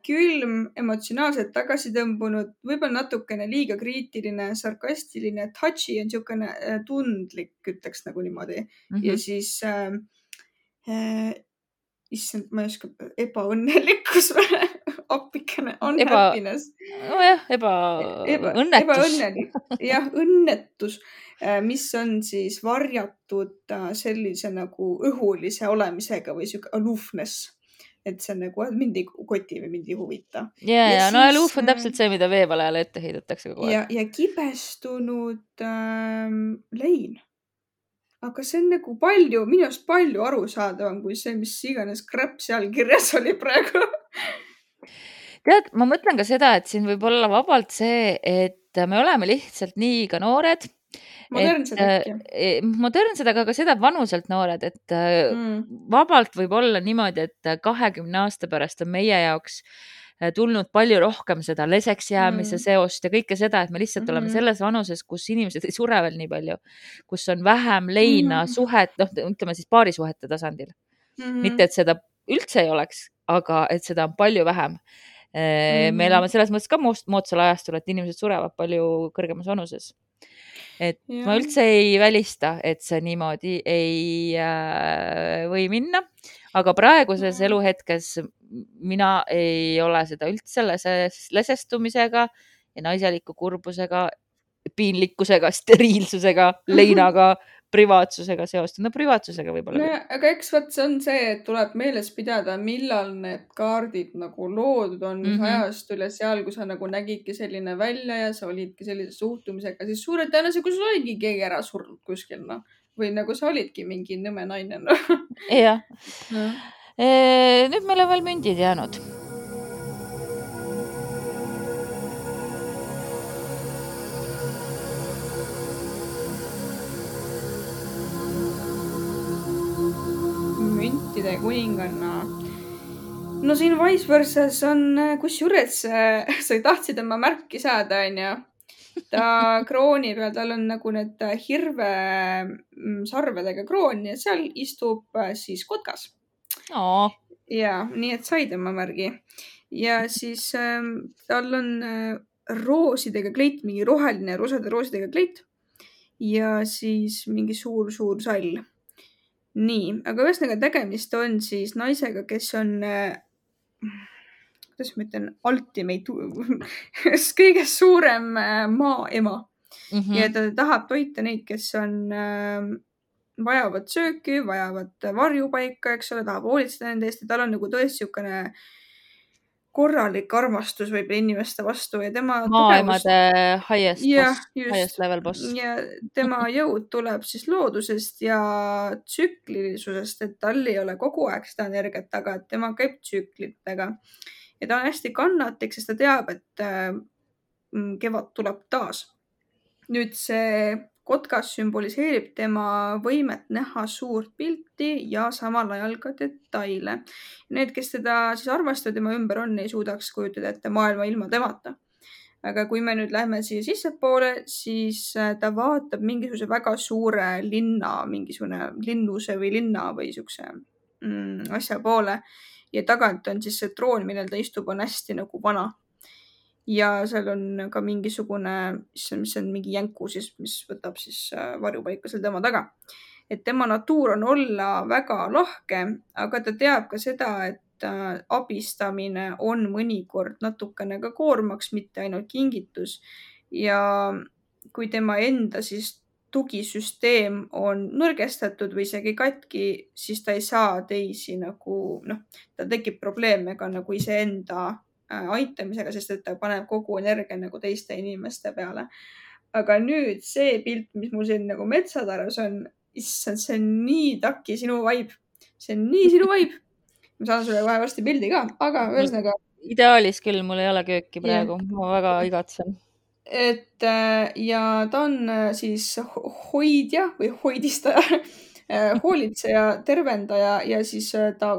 Külm, emotsionaalselt tagasitõmbunud, võib-olla natukene liiga kriitiline, sarkastiline, touchy on niisugune tundlik, ütleks nagu niimoodi. Ja siis issand, ma ei oska, ebaõnnelikkus või appikene, unhappiness. Nojah, ebaõnnetus. Ebaõnnelik, jah, õnnetus, mis on siis varjatud sellise nagu õhulise olemisega või siuke aloofness. Et see on nagu, mind ei koti või mind ei huvita. Ja no aloof on täpselt see, mida veevalajale ette heidetakse kogu aeg. Ja kibestunud lein. Aga see on nagu palju, minu arust palju arusaadavam kui see, mis iganes crap seal kirjas oli praegu. Tead, ma mõtlen ka seda, et siin võib olla vabalt see, et me oleme lihtsalt nii ka noored. Modernsed äkki. Modernsed, aga ka seda vanuselt noored, et vabalt võib olla niimoodi, et 20 aasta pärast on meie jaoks tulnud palju rohkem seda leseks jäämise seost ja kõike seda, et me lihtsalt oleme selles vanuses, kus inimesed ei sure veel nii palju, kus on vähem leina suhet, ütleme siis paarisuhete tasandil. Mitte, et seda üldse ei oleks, aga et seda on palju vähem. Me elame selles mõttes ka moodsal ajastul, et inimesed surevad palju kõrgemas vanuses. Et ma üldse ei välista, et see niimoodi ei või minna, aga praeguses eluhetkes mina ei ole seda üldse lesestumisega ja naiseliku kurbusega, piinlikkusega, steriilsusega, leinaga, privaatsusega seost. No privaatsusega võib-olla. No, aga eks vaat see on see, et tuleb meeles pidada, millal need kaardid nagu loodud on, mis ajastul ja seal, kui sa nagu nägidki selline välja ja sa olidki sellise suhtumisega, siis suure tõenäosusega, kui sul oligi keegi ära surnud kuskil, no. Või nagu sa olidki mingi nõme naine, no. Jah. Nüüd meil on veel mündid jäänud. Müntide kuninganna. No siin vice versas on, kusjuures sa tahtsid oma märki saada, on ju. Ta krooni peal, tal on nagu need hirve sarvedega kroon ja seal istub siis kotkas. Ja, nii et said oma märgi. Ja siis tal on roosidega kleit, mingi roheline rosade roosidega kleit ja siis mingi suur sall. Nii, aga ühesõnaga tegemist on siis naisega, kes on, kuidas ma ütlen, ultimate, kõige suurem maaema. Ja ta tahab toita neid, kes on, vajavad sööki, vajavad varjupaika, eks ole, tahab hoolitseda nende eest ja tal on nagu tõesti niisugune korralik armastus võib inimeste vastu ja tema maaemade highest level boss. Ja tema jõud tuleb siis loodusest ja tsüklilisusest, et tal ei ole kogu aeg seda energiat taga, et tema käib tsüklitega. Ja ta on hästi kannatlik, sest ta teab, et kevad tuleb taas. Nüüd see kotkas sümboliseerib tema võimet näha suurt pilti ja samal ajal ka detaile. Need, kes teda siis armastavad tema ümber on, ei suudaks kujutada ette maailma ilma temata. Aga kui me nüüd lähme siia sissepoole, siis ta vaatab mingisuguse väga suure linna, mingisugune linnuse või linna või niisuguse asja poole. Ja tagant on siis see troon, millel ta istub, on hästi nagu vana. Ja seal on ka mingisugune, mis on mingi jänku siis, mis võtab siis varjupaika seal tema taga. Et tema natuur on olla väga lahke, aga ta teab ka seda, et abistamine on mõnikord natukene ka koormaks, mitte ainult kingitus. Ja kui tema enda siis tugisüsteem on nõrgestatud või isegi katki, siis ta ei saa teisi nagu, ta tekib probleeme ka nagu iseenda aitamisega, sest et ta paneb kogu energia nagu teiste inimeste peale. Aga nüüd see pilt, mis mul siin nagu Metsatarus on, issand, see on nii taki sinu vibe. See on nii sinu vibe. Ma saan sulle kohe varsti pildi ka, aga ühesõnaga. Ideaalis küll, mul ei ole kööki praegu, Yeah. ma väga igatsen. Et ja ta on siis hoidja või hoidistaja, hoolitseja, tervendaja ja siis ta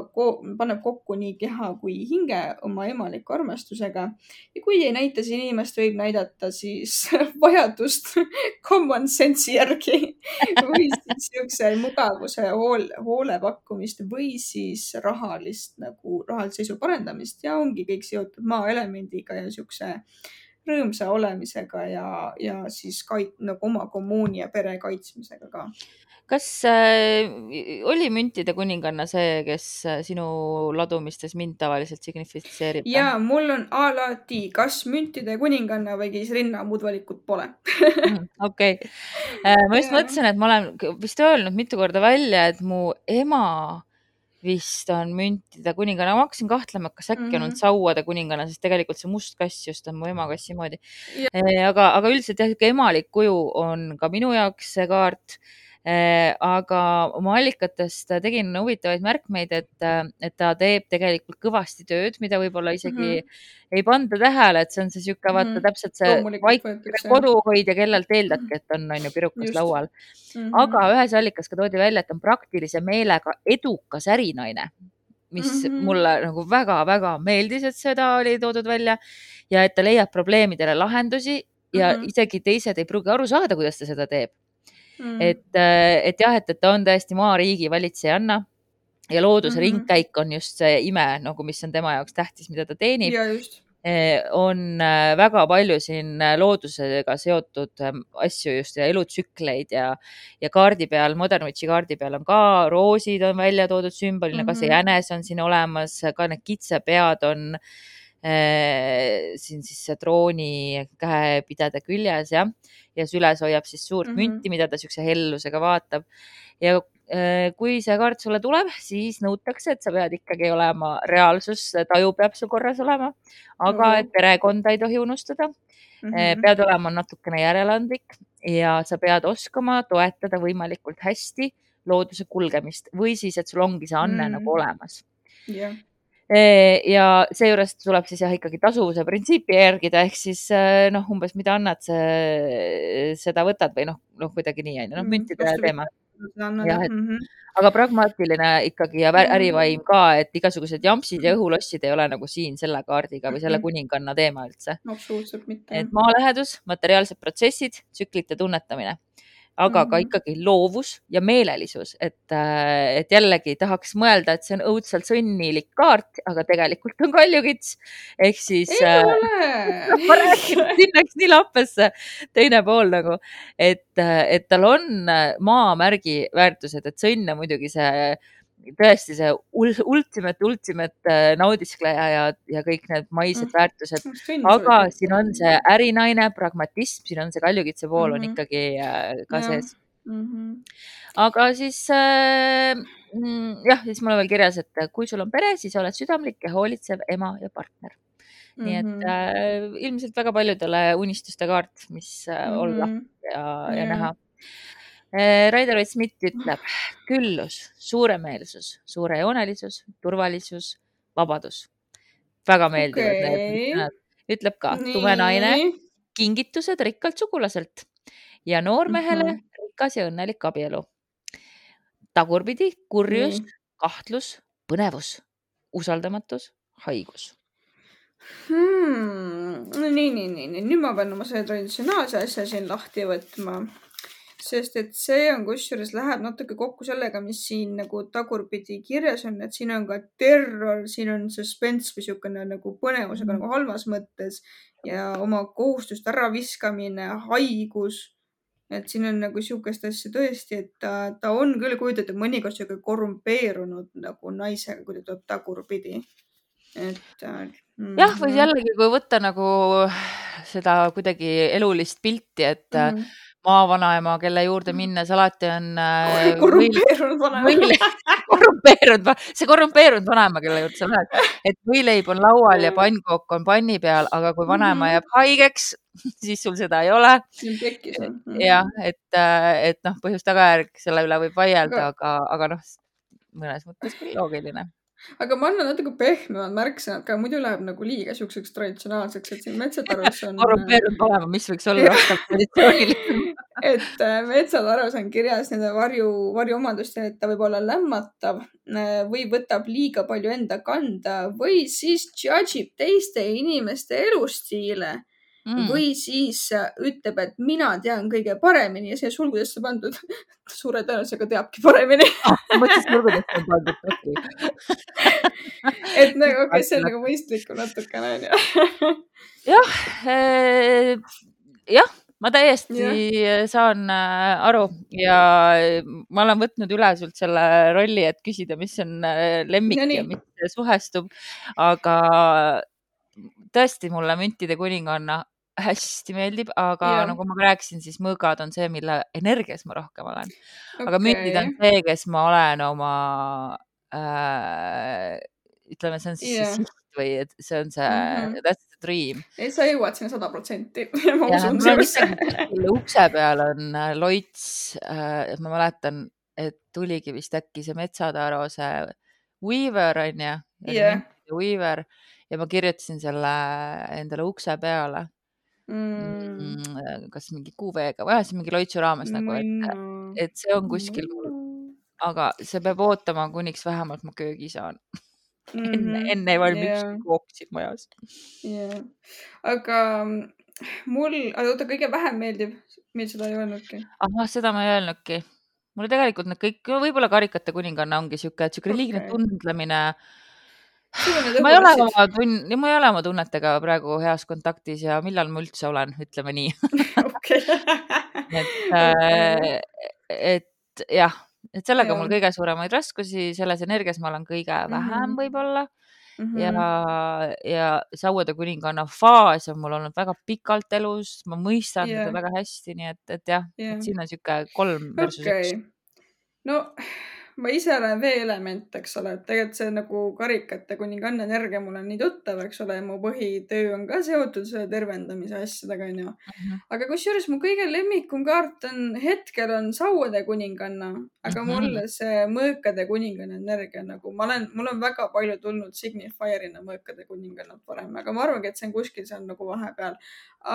paneb kokku nii keha kui hinge oma emaliku armastusega. Ja kui ei näita siin inimest, võib näidata siis vajadust common sense'i järgi või siis siukse mugavuse hoole pakkumist või siis rahalise seisu parendamist ja ongi kõik seotud maaelemendiga ja siukse rõõmsa olemisega ja siis nagu oma kommuuni ja pere kaitsmisega ka. Kas oli müntide kuninganna see, kes sinu ladumistes mind tavaliselt signifitseerib? Ja mul on alati kas müntide kuninganna või keisrinna, muud valikut pole. Okei. Ma just mõtlesin, et ma olen vist öelnud mitu korda välja, et mu ema vist on müntide kuninganna. Ma hakkasin kahtlema, et kas äkki on sauade kuninganna, sest tegelikult see must kass just on mu ema kassi moodi. Aga üldiselt jah, emalik kuju on ka minu jaoks see kaart. Aga oma allikatest tegin huvitavaid märkmeid, et ta teeb tegelikult kõvasti tööd, mida võib-olla isegi ei panda tähele, et see on see siuke vaata täpselt see vaikne koduhoidja, kellelt eeldadki, et on ju pirukas laual. Aga ühes allikas ka toodi välja, et on praktilise meelega edukas ärinaine, mis mulle nagu väga-väga meeldis, et seda oli toodud välja ja et ta leiab probleemidele lahendusi ja isegi teised ei pruugi aru saada, kuidas ta seda teeb. Et jah, et ta on tõesti maariigi valitsejanna ja looduse ringkäik on just see ime, nagu mis on tema jaoks tähtis, mida ta teenib. Ja just. On väga palju siin loodusega seotud asju just ja elutsükleid ja kaardi peal, Modern Witchi kaardi peal on ka roosid on välja toodud sümbolina, ka see jänes on siin olemas, ka need kitsepead on siin siis see trooni käepidede küljes ja süles hoiab siis suurt münti, mida ta siukse hellusega vaatab. Ja kui see kaart sulle tuleb, siis nõutakse, et sa pead ikkagi olema reaalsus, taju peab sul korras olema, aga et perekonda ei tohi unustada. Pead olema natukene järeleandlik ja sa pead oskama toetada võimalikult hästi looduse kulgemist või siis, et sul ongi see anne nagu olemas. Yeah. Ja seejuures tuleb siis jah ikkagi tasuvuse printsiipi järgida, ehk siis umbes mida annad, seda võtad või kuidagi nii on, müntide teema. Aga pragmaatiline ikkagi ja ärivaim ka, et igasugused jampsid ja õhulossid ei ole nagu siin selle kaardiga või selle kuninganna teema üldse. Absoluutselt mitte. Et maalähedus, materiaalsed protsessid, tsüklite tunnetamine. Aga ka ikkagi loovus ja meelelisus, et jällegi tahaks mõelda, et see on õudselt sõnnilik kaart, aga tegelikult on kaljukits. Ehk siis ma räägin, siin läks nii lappesse teine pool nagu, et tal on maamärgi väärtused, et sõnn on muidugi see tõesti see ultimate naudiskleja ja kõik need maised väärtused, aga siin on see ärinaine, pragmatism, siin on see kaljukitse pool on ikkagi ka sees. Aga siis jah, siis mul on veel kirjas, et kui sul on pere, siis oled südamlik ja hoolitsev ema ja partner. Nii et ilmselt väga paljudele unistuste kaart, mis olla ja näha. Rider-Waite Smith ütleb küllus, suuremeelsus, suurejoonelisus, turvalisus, vabadus. Väga meeldivad need sõnad. Ütleb ka tume naine, kingitused rikkalt sugulaselt ja noormehele rikas ja õnnelik abielu. Tagurpidi, kurjus, kahtlus, põnevus, usaldamatus, haigus. Nii. Nüüd ma pean oma selle traditsionaalse asja siin lahti võtma. Sest et see on kusjuures läheb natuke kokku sellega, mis siin nagu tagurpidi kirjas on, et siin on ka terror, siin on suspense või siukene nagu põnevusega nagu halvas mõttes ja oma kohustuste äraviskamine, haigus. Et siin on nagu siukest asja tõesti, et ta on küll kujutatud mõnikord siuke korrumpeerunud nagu naisega, kui ta tuleb tagurpidi. et jah, või jällegi, kui võtta nagu seda kuidagi elulist pilti, et maavanaema, kelle juurde minnes alati on korrumpeerunud vanaema. see korrumpeerunud vanaema, kelle juurde sa lähed, et võileib on laual ja pannkook on panni peal, aga kui vanaema jääb haigeks, siis sul seda ei ole. jah, et noh, põhjus-tagajärg selle üle võib vaielda, aga noh, mõnes mõttes küll loogiline. Aga ma annan natuke pehmemad märksõnad ka, muidu läheb nagu liiga siukseks traditsionaalseks, et siin Metsatarus on korrumpeerunud olema, mis võiks olla rohkem traditsioonilisem. et Metsatarus on kirjas nende varjuomadustel, et ta võib olla lämmatav või võtab liiga palju enda kanda või siis judge ib teiste inimeste elustiile või siis ütleb, et mina tean kõige paremini ja see sulgudesse pandud suure tõenäosusega teabki paremini. Mõtles sulgudesse on pandud. et nagu, okei, see on nagu mõistlikum natukene. jah, ma täiesti saan aru ja ma olen võtnud üle sult selle rolli, et küsida, mis on lemmik ja mis suhestub, aga tõesti mulle müntide kuninganna hästi meeldib, aga nagu ma rääkisin, siis mõõgad on see, mille energias ma rohkem olen. Aga müntid on see, kes ma olen oma, ütleme, see on siis see siht või see on see, that's the dream. Sa jõuad sinna 100%. Ma usun ukse peal on loits, ma mäletan, et tuligi vist äkki see Metsataro, see Weaver on ju, Weaver ja ma kirjutasin selle endale ukse peale. Kas mingi QV-ga või see mingi loitsu raames nagu, et see on kuskil mul, aga see peab ootama, kuniks vähemalt ma köögi saan. enne ei valmiks kooksid majas. Aga oota, kõige vähem meeldib, meil seda ei öelnudki. Seda ma ei öelnudki. Mulle tegelikult need kõik, võib-olla Karikate kuninganna ongi siuke liigne tundlemine. Ma ei ole oma tunnetega praegu heas kontaktis ja millal ma üldse olen, ütleme nii. et jah, et sellega mul kõige suuremaid raskusi, selles energias ma olen kõige vähem võib-olla ja Sauede kuninganna faas on mul olnud väga pikalt elus, ma mõistan seda väga hästi, nii et jah, et siin on siuke 3 versus 1. No ma ise olen vee-element, eks ole, et tegelikult see nagu Karikate kuninganna energia mul on nii tuttav, eks ole, ja mu põhitöö on ka seotud selle tervendamise asjadega, on ju. Aga kusjuures mu kõige lemmikum kaart hetkel on Sauede kuninganna, aga mulle see mõõkade kuninganna energia nagu, mul on väga palju tulnud Signifierina mõõkade kuningannat varem, aga ma arvangi, et see on kuskil, see on nagu vahepeal.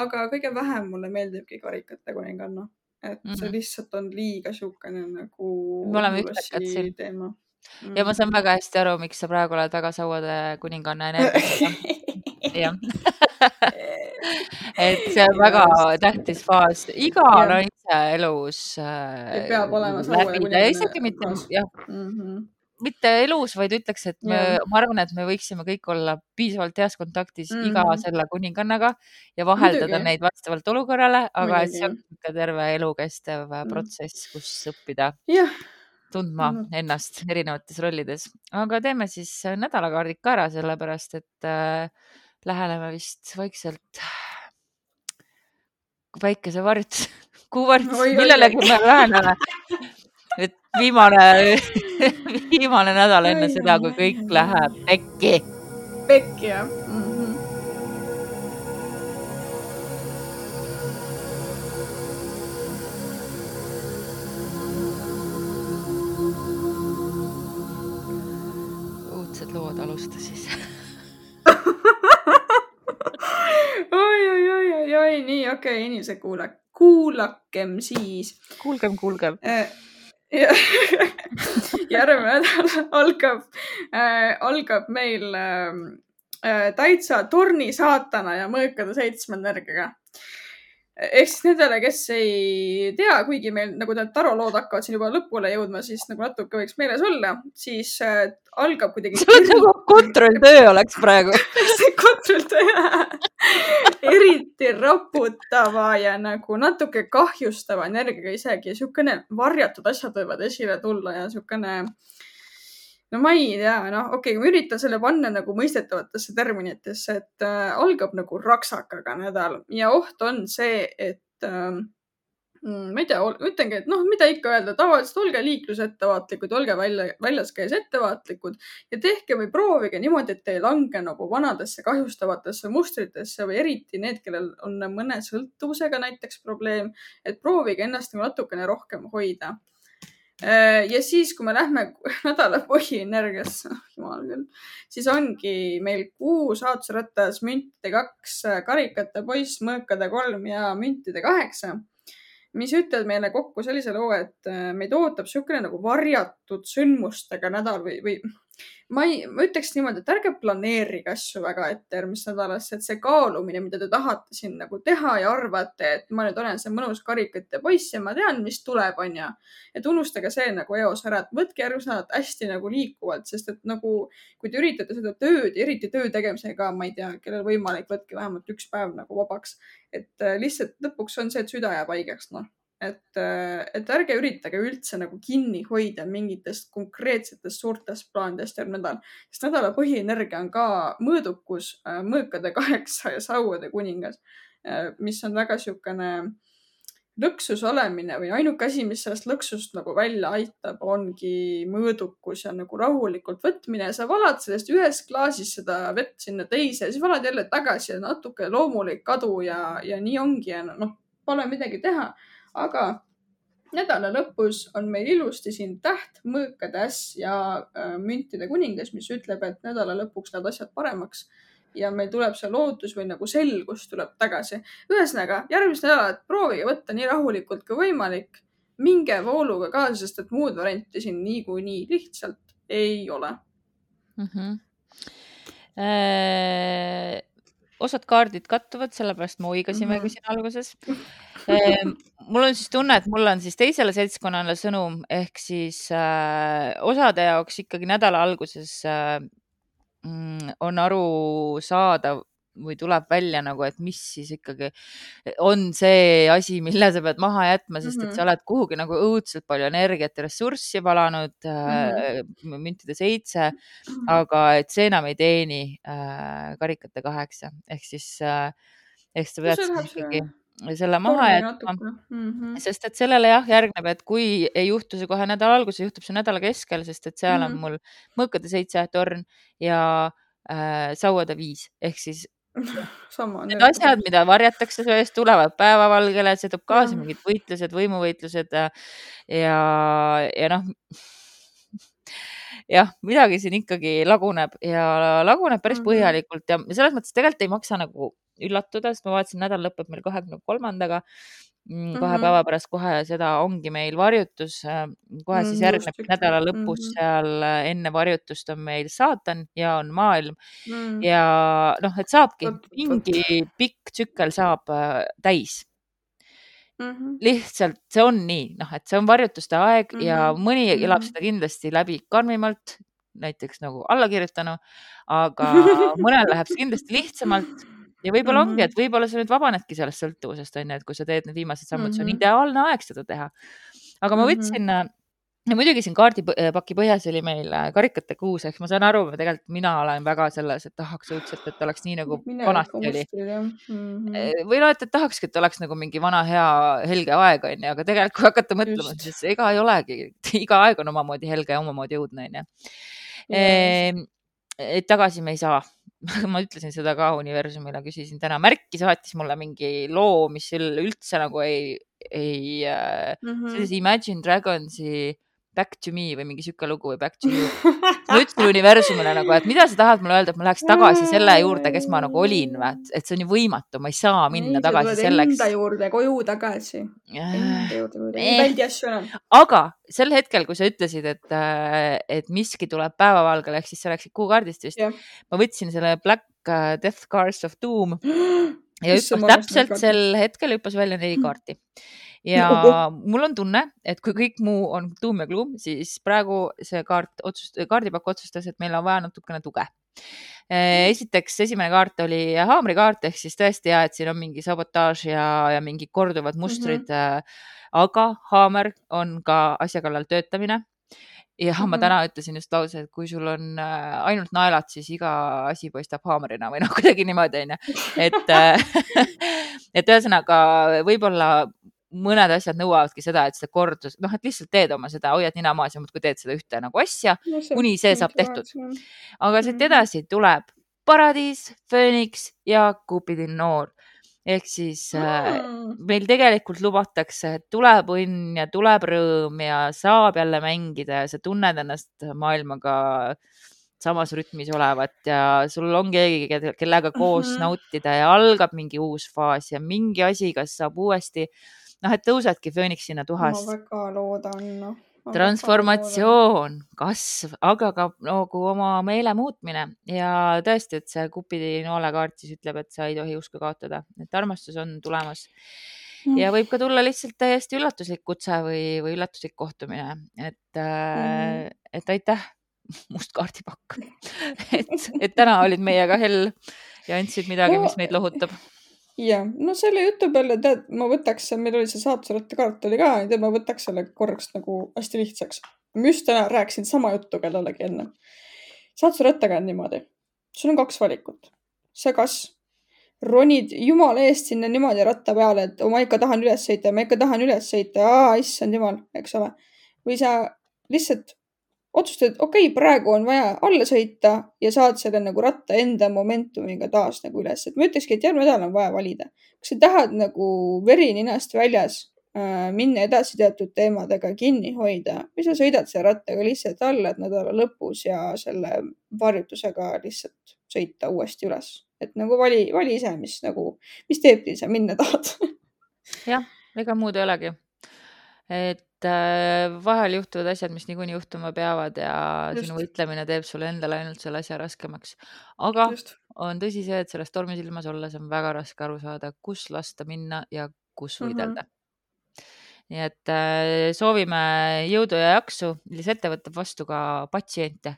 Aga kõige vähem mulle meeldibki Karikate kuninganna. Et see lihtsalt on liiga siukene nagu me oleme ühtekad siin teema. Ja ma saan väga hästi aru, miks sa praegu oled väga Sauede kuninganna energiaga. Jah. Et see on väga tähtis faas. Iga naise elus peab olema Sauede kuninganna. Isegi mitte elus, vaid ütleks, et ma arvan, et me võiksime kõik olla piisavalt heas kontaktis iga selle kuningannaga ja vaheldada neid vastavalt olukorrale, aga see on terve elukestev protsess, kus õppida tundma ennast erinevates rollides. Aga teeme siis nädalakaardid ka ära, sellepärast, et läheneme vist vaikselt väikese varjutus, kuuvarjutus, millelegi me läheneme. Et viimane nädal enne seda, kui kõik läheb pekki. Pekki, jah. Uudsed lood alusta siis. Oi, nii, okei, inimesed kuulakem siis. Kuulgem. Järgmine nädal algab meil täitsa torni saatana ja mõõkade 7 energiaga. Ehk siis nendele, kes ei tea, kuigi meil nagu need tarolood hakkavad siin juba lõpule jõudma, siis nagu natuke võiks meeles olla, siis algab kuidagi... See on nagu kontrolltöö oleks praegu. See kontrolltöö eriti raputava ja nagu natuke kahjustava energiaga isegi. Siukene varjatud asjad võivad esile tulla ja siukene no ma ei tea, noh, okei, ma üritan selle panna nagu mõistetavatesse terminitesse, et algab nagu raksakaga nädal ja oht on see, et ma ei tea, ütlengi, et noh, mida ikka öelda, tavaliselt olge liiklusettevaatlikud, olge väljas käes ettevaatlikud ja tehke või proovige niimoodi, et te ei lange nagu vanadesse kahjustavatesse mustritesse või eriti need, kellel on mõne sõltuvusega näiteks probleem, et proovige ennast nagu natukene rohkem hoida. Ja siis, kui me lähme nädala põhienergiasse, jumal küll, siis ongi meil Kuu saatusratas, müntide 2, karikate poiss, mõõkade 3 ja müntide 8, mis ütlevad meile kokku sellise loo, et meid ootab niisugune nagu varjatud sündmustega nädal või ma ütleks niimoodi, et ärge planeerige asju väga ette järgmist nädalasse, et see kaalumine, mida te tahate siin nagu teha ja arvate, et ma nüüd olen see mõnus karikate poiss ja ma tean, mis tuleb, on ju. Et unustage see nagu eos ära, et võtke järgmist nädalat hästi nagu liikuvalt, sest et nagu, kui te üritate seda tööd, eriti töö tegemisega, ma ei tea, kellel võimalik, võtke vähemalt 1 päev nagu vabaks. Et lihtsalt lõpuks on see, et süda jääb haigeks, noh. Et ärge üritage üldse nagu kinni hoida mingitest konkreetsetest suurtest plaanidest järgmine nädal, sest nädala põhienergia on ka mõõdukus, mõõkade 8 ja sauade kuningas, mis on väga niisugune lõksus olemine või ainuke asi, mis sellest lõksust nagu välja aitab, ongi mõõdukus ja nagu rahulikult võtmine. Sa valad sellest ühest klaasist seda vett sinna teise ja siis valad jälle tagasi ja natuke loomulik kadu ja nii ongi ja noh, pole midagi teha. Aga nädala lõpus on meil ilusti siin täht, mõõkade äss ja müntide kuningas, mis ütleb, et nädala lõpuks lähevad asjad paremaks ja meil tuleb see lootus või nagu selgus tuleb tagasi. Ühesõnaga, järgmist nädalat proovige võtta nii rahulikult kui võimalik. Minge vooluga kaasa, sest et muud varianti siin niikuinii lihtsalt ei ole. Osad kaardid kattuvad, sellepärast me oigasimegi siin alguses. Mul on siis tunne, et mul on siis teisele seltskonnale sõnum, ehk siis osade jaoks ikkagi nädala alguses on aru saada või tuleb välja nagu, et mis siis ikkagi on see asi, mille sa pead maha jätma, sest et sa oled kuhugi nagu õudselt palju energiat ja ressurssi valanud, müntide 7, aga et see enam ei teeni karikate 8. Ehk siis sa pead siis ikkagi selle maha jätma, sest et sellele jah järgneb, et kui ei juhtu see kohe nädala alguses, juhtub see nädala keskel, sest et seal on mul mõõkade 7 torn ja sauade 5, ehk siis need asjad, mida varjatakse sellest, tulevad päevavalgele, see toob kaasa mingid võitlused, võimuvõitlused ja noh, jah, midagi siin ikkagi laguneb ja laguneb päris põhjalikult ja selles mõttes tegelikult ei maksa nagu üllatuda, sest ma vaatasin, nädal lõpeb meil 23-ndaga, 2 päeva pärast kohe seda ongi meil varjutus, kohe siis järgneb nädala lõpus seal enne varjutust on meil saatan ja on maailm ja noh, et saabki mingi pikk tsükkel saab täis. Lihtsalt see on nii, noh, et see on varjutuste aeg ja mõni elab seda kindlasti läbi karmimalt, näiteks nagu allakirjutanu, aga mõnel läheb see kindlasti lihtsamalt ja võib-olla ongi, et võib-olla sa nüüd vabanedki sellest sõltuvusest, on ju, et kui sa teed need viimased sammud, see on ideaalne aeg seda teha. Aga ma võtsin, ja muidugi siin kaardipaki põhjas oli meil karikate 6, ehk ma saan aru, tegelikult mina olen väga selles, et tahaks õudselt, et oleks nii nagu vanasti oli. Või no, et tahakski, et oleks nagu mingi vana hea helge aeg, on ju, aga tegelikult kui hakata mõtlema, siis ega ei olegi, iga aeg on omamoodi helge ja omamoodi õudne, on ju. Et tagasi me ei saa. Ma ütlesin seda ka universumile, küsisin täna. Märki saatis mulle mingi loo, mis üldse nagu sellise Imagine Dragonsi Back to me või mingi siuke lugu või Back to you. Ma ütlesin universumile nagu, et mida sa tahad mulle öelda, et ma läheks tagasi selle juurde, kes ma nagu olin, et see on ju võimatu, ma ei saa minna tagasi selleks. Enda juurde, koju tagasi. Aga sel hetkel, kui sa ütlesid, et miski tuleb päevavalgele, ehk siis see läksid kuukaardist vist, ma võtsin selle Black Death Cards of Doom ja täpselt sel hetkel hüppas välja 4 kaarti. Ja mul on tunne, et kui kõik muu on tuum ja kluum, siis praegu see kaardipakk otsustas, et meil on vaja natukene tuge. Esiteks, esimene kaart oli haamrikaart, ehk siis tõesti et siin on mingi sabotaaž ja mingi korduvad mustrid, aga haamer on ka asja kallal töötamine ja ma täna ütlesin just lause, et kui sul on ainult naelad, siis iga asi paistab haamerina või noh, kuidagi niimoodi onju. Et ühesõnaga võib-olla mõned asjad nõuavadki seda, et seda kordus, noh, et lihtsalt teed oma seda, hoiad nina maas ja muudkui teed seda ühte nagu asja, kuni see saab tehtud. Aga siit edasi tuleb Paradiis, Phoenix ja Cupidin noor. Ehk siis meil tegelikult lubatakse, et tuleb õnn ja tuleb rõõm ja saab jälle mängida ja sa tunned ennast maailmaga samas rütmis olevat ja sul on keegi, kellega koos nautida ja algab mingi uus faas ja mingi asi, kas saab uuesti, noh, et tõusedki Phoenixina tuhast. Ma väga loodan, noh. Transformatsioon, kasv, aga ka nagu oma meele muutmine ja tõesti, et see Cupidi noolekaart siis ütleb, et sa ei tohi usku kaotada, et armastus on tulemas ja võib ka tulla lihtsalt täiesti üllatuslik kutse või üllatuslik kohtumine, et aitäh, must kaardipakk, et täna olid meiega hell ja andsid midagi, mis meid lohutab. Ja, no selle jutu peale, tead, ma võtaks, meil oli see saatusrattakaart oli ka, ma võtaks selle korraks nagu hästi lihtsaks. Ma just täna rääkisin sama juttu kellelegi enne. Saatusrattaga on niimoodi. Sul on 2 valikut. Sa kas ronid jumala eest sinna niimoodi ratta peale, et ma ikka tahan üles sõita, issand jumal, eks ole. Või sa lihtsalt otsustad, et okei, praegu on vaja alla sõita ja saad selle nagu ratta enda momentumiga taas nagu üles. Et ma ütlekski, et järgmine nädal on vaja valida. Kas sa tahad nagu veri ninast väljas minna edasi teatud teemadega kinni hoida või sa sõidad selle rattaga lihtsalt alla, et nädala lõpus ja selle varjutusega lihtsalt sõita uuesti üles. Et nagu vali ise, mis teebki sa minna tahad. Jah, ega muud ei olegi. Et vahel juhtuvad asjad, mis niikuinii juhtuma peavad ja sinu võitlemine teeb sulle endale ainult selle asja raskemaks. Aga on tõsi see, et selles tormisilmas olles on väga raske aru saada, kus lasta minna ja kus võidelda. Nii et soovime jõudu ja jaksu. Lisette võtab vastu ka patsiente.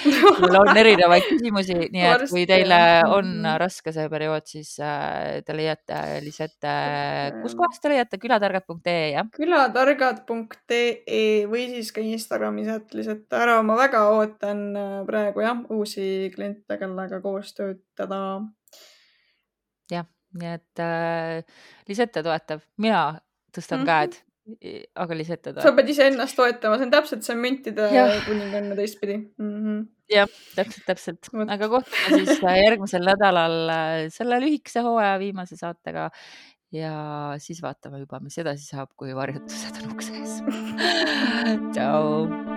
Meil on erinevaid küsimusi, nii et kui teile on raske see periood, siis te leiate Lisette, kus kohast te leiate? Külatargad.ee, jah? Külatargad.ee või siis ka Instagramis Lisette ära. Ma väga ootan praegu jah, uusi kliente, kellega koos töötada. Jah, nii et Lisette toetab. Mina tõstan käed, aga Lisette toetab. Sa pead ise ennast toetama, see on täpselt see müntide kuninganna teistpidi. Jah, täpselt. Aga kohtume siis järgmisel nädalal selle lühikese hooaja viimase saatega ja siis vaatame juba, mis edasi saab, kui varjutused on ukse ees. Tšau!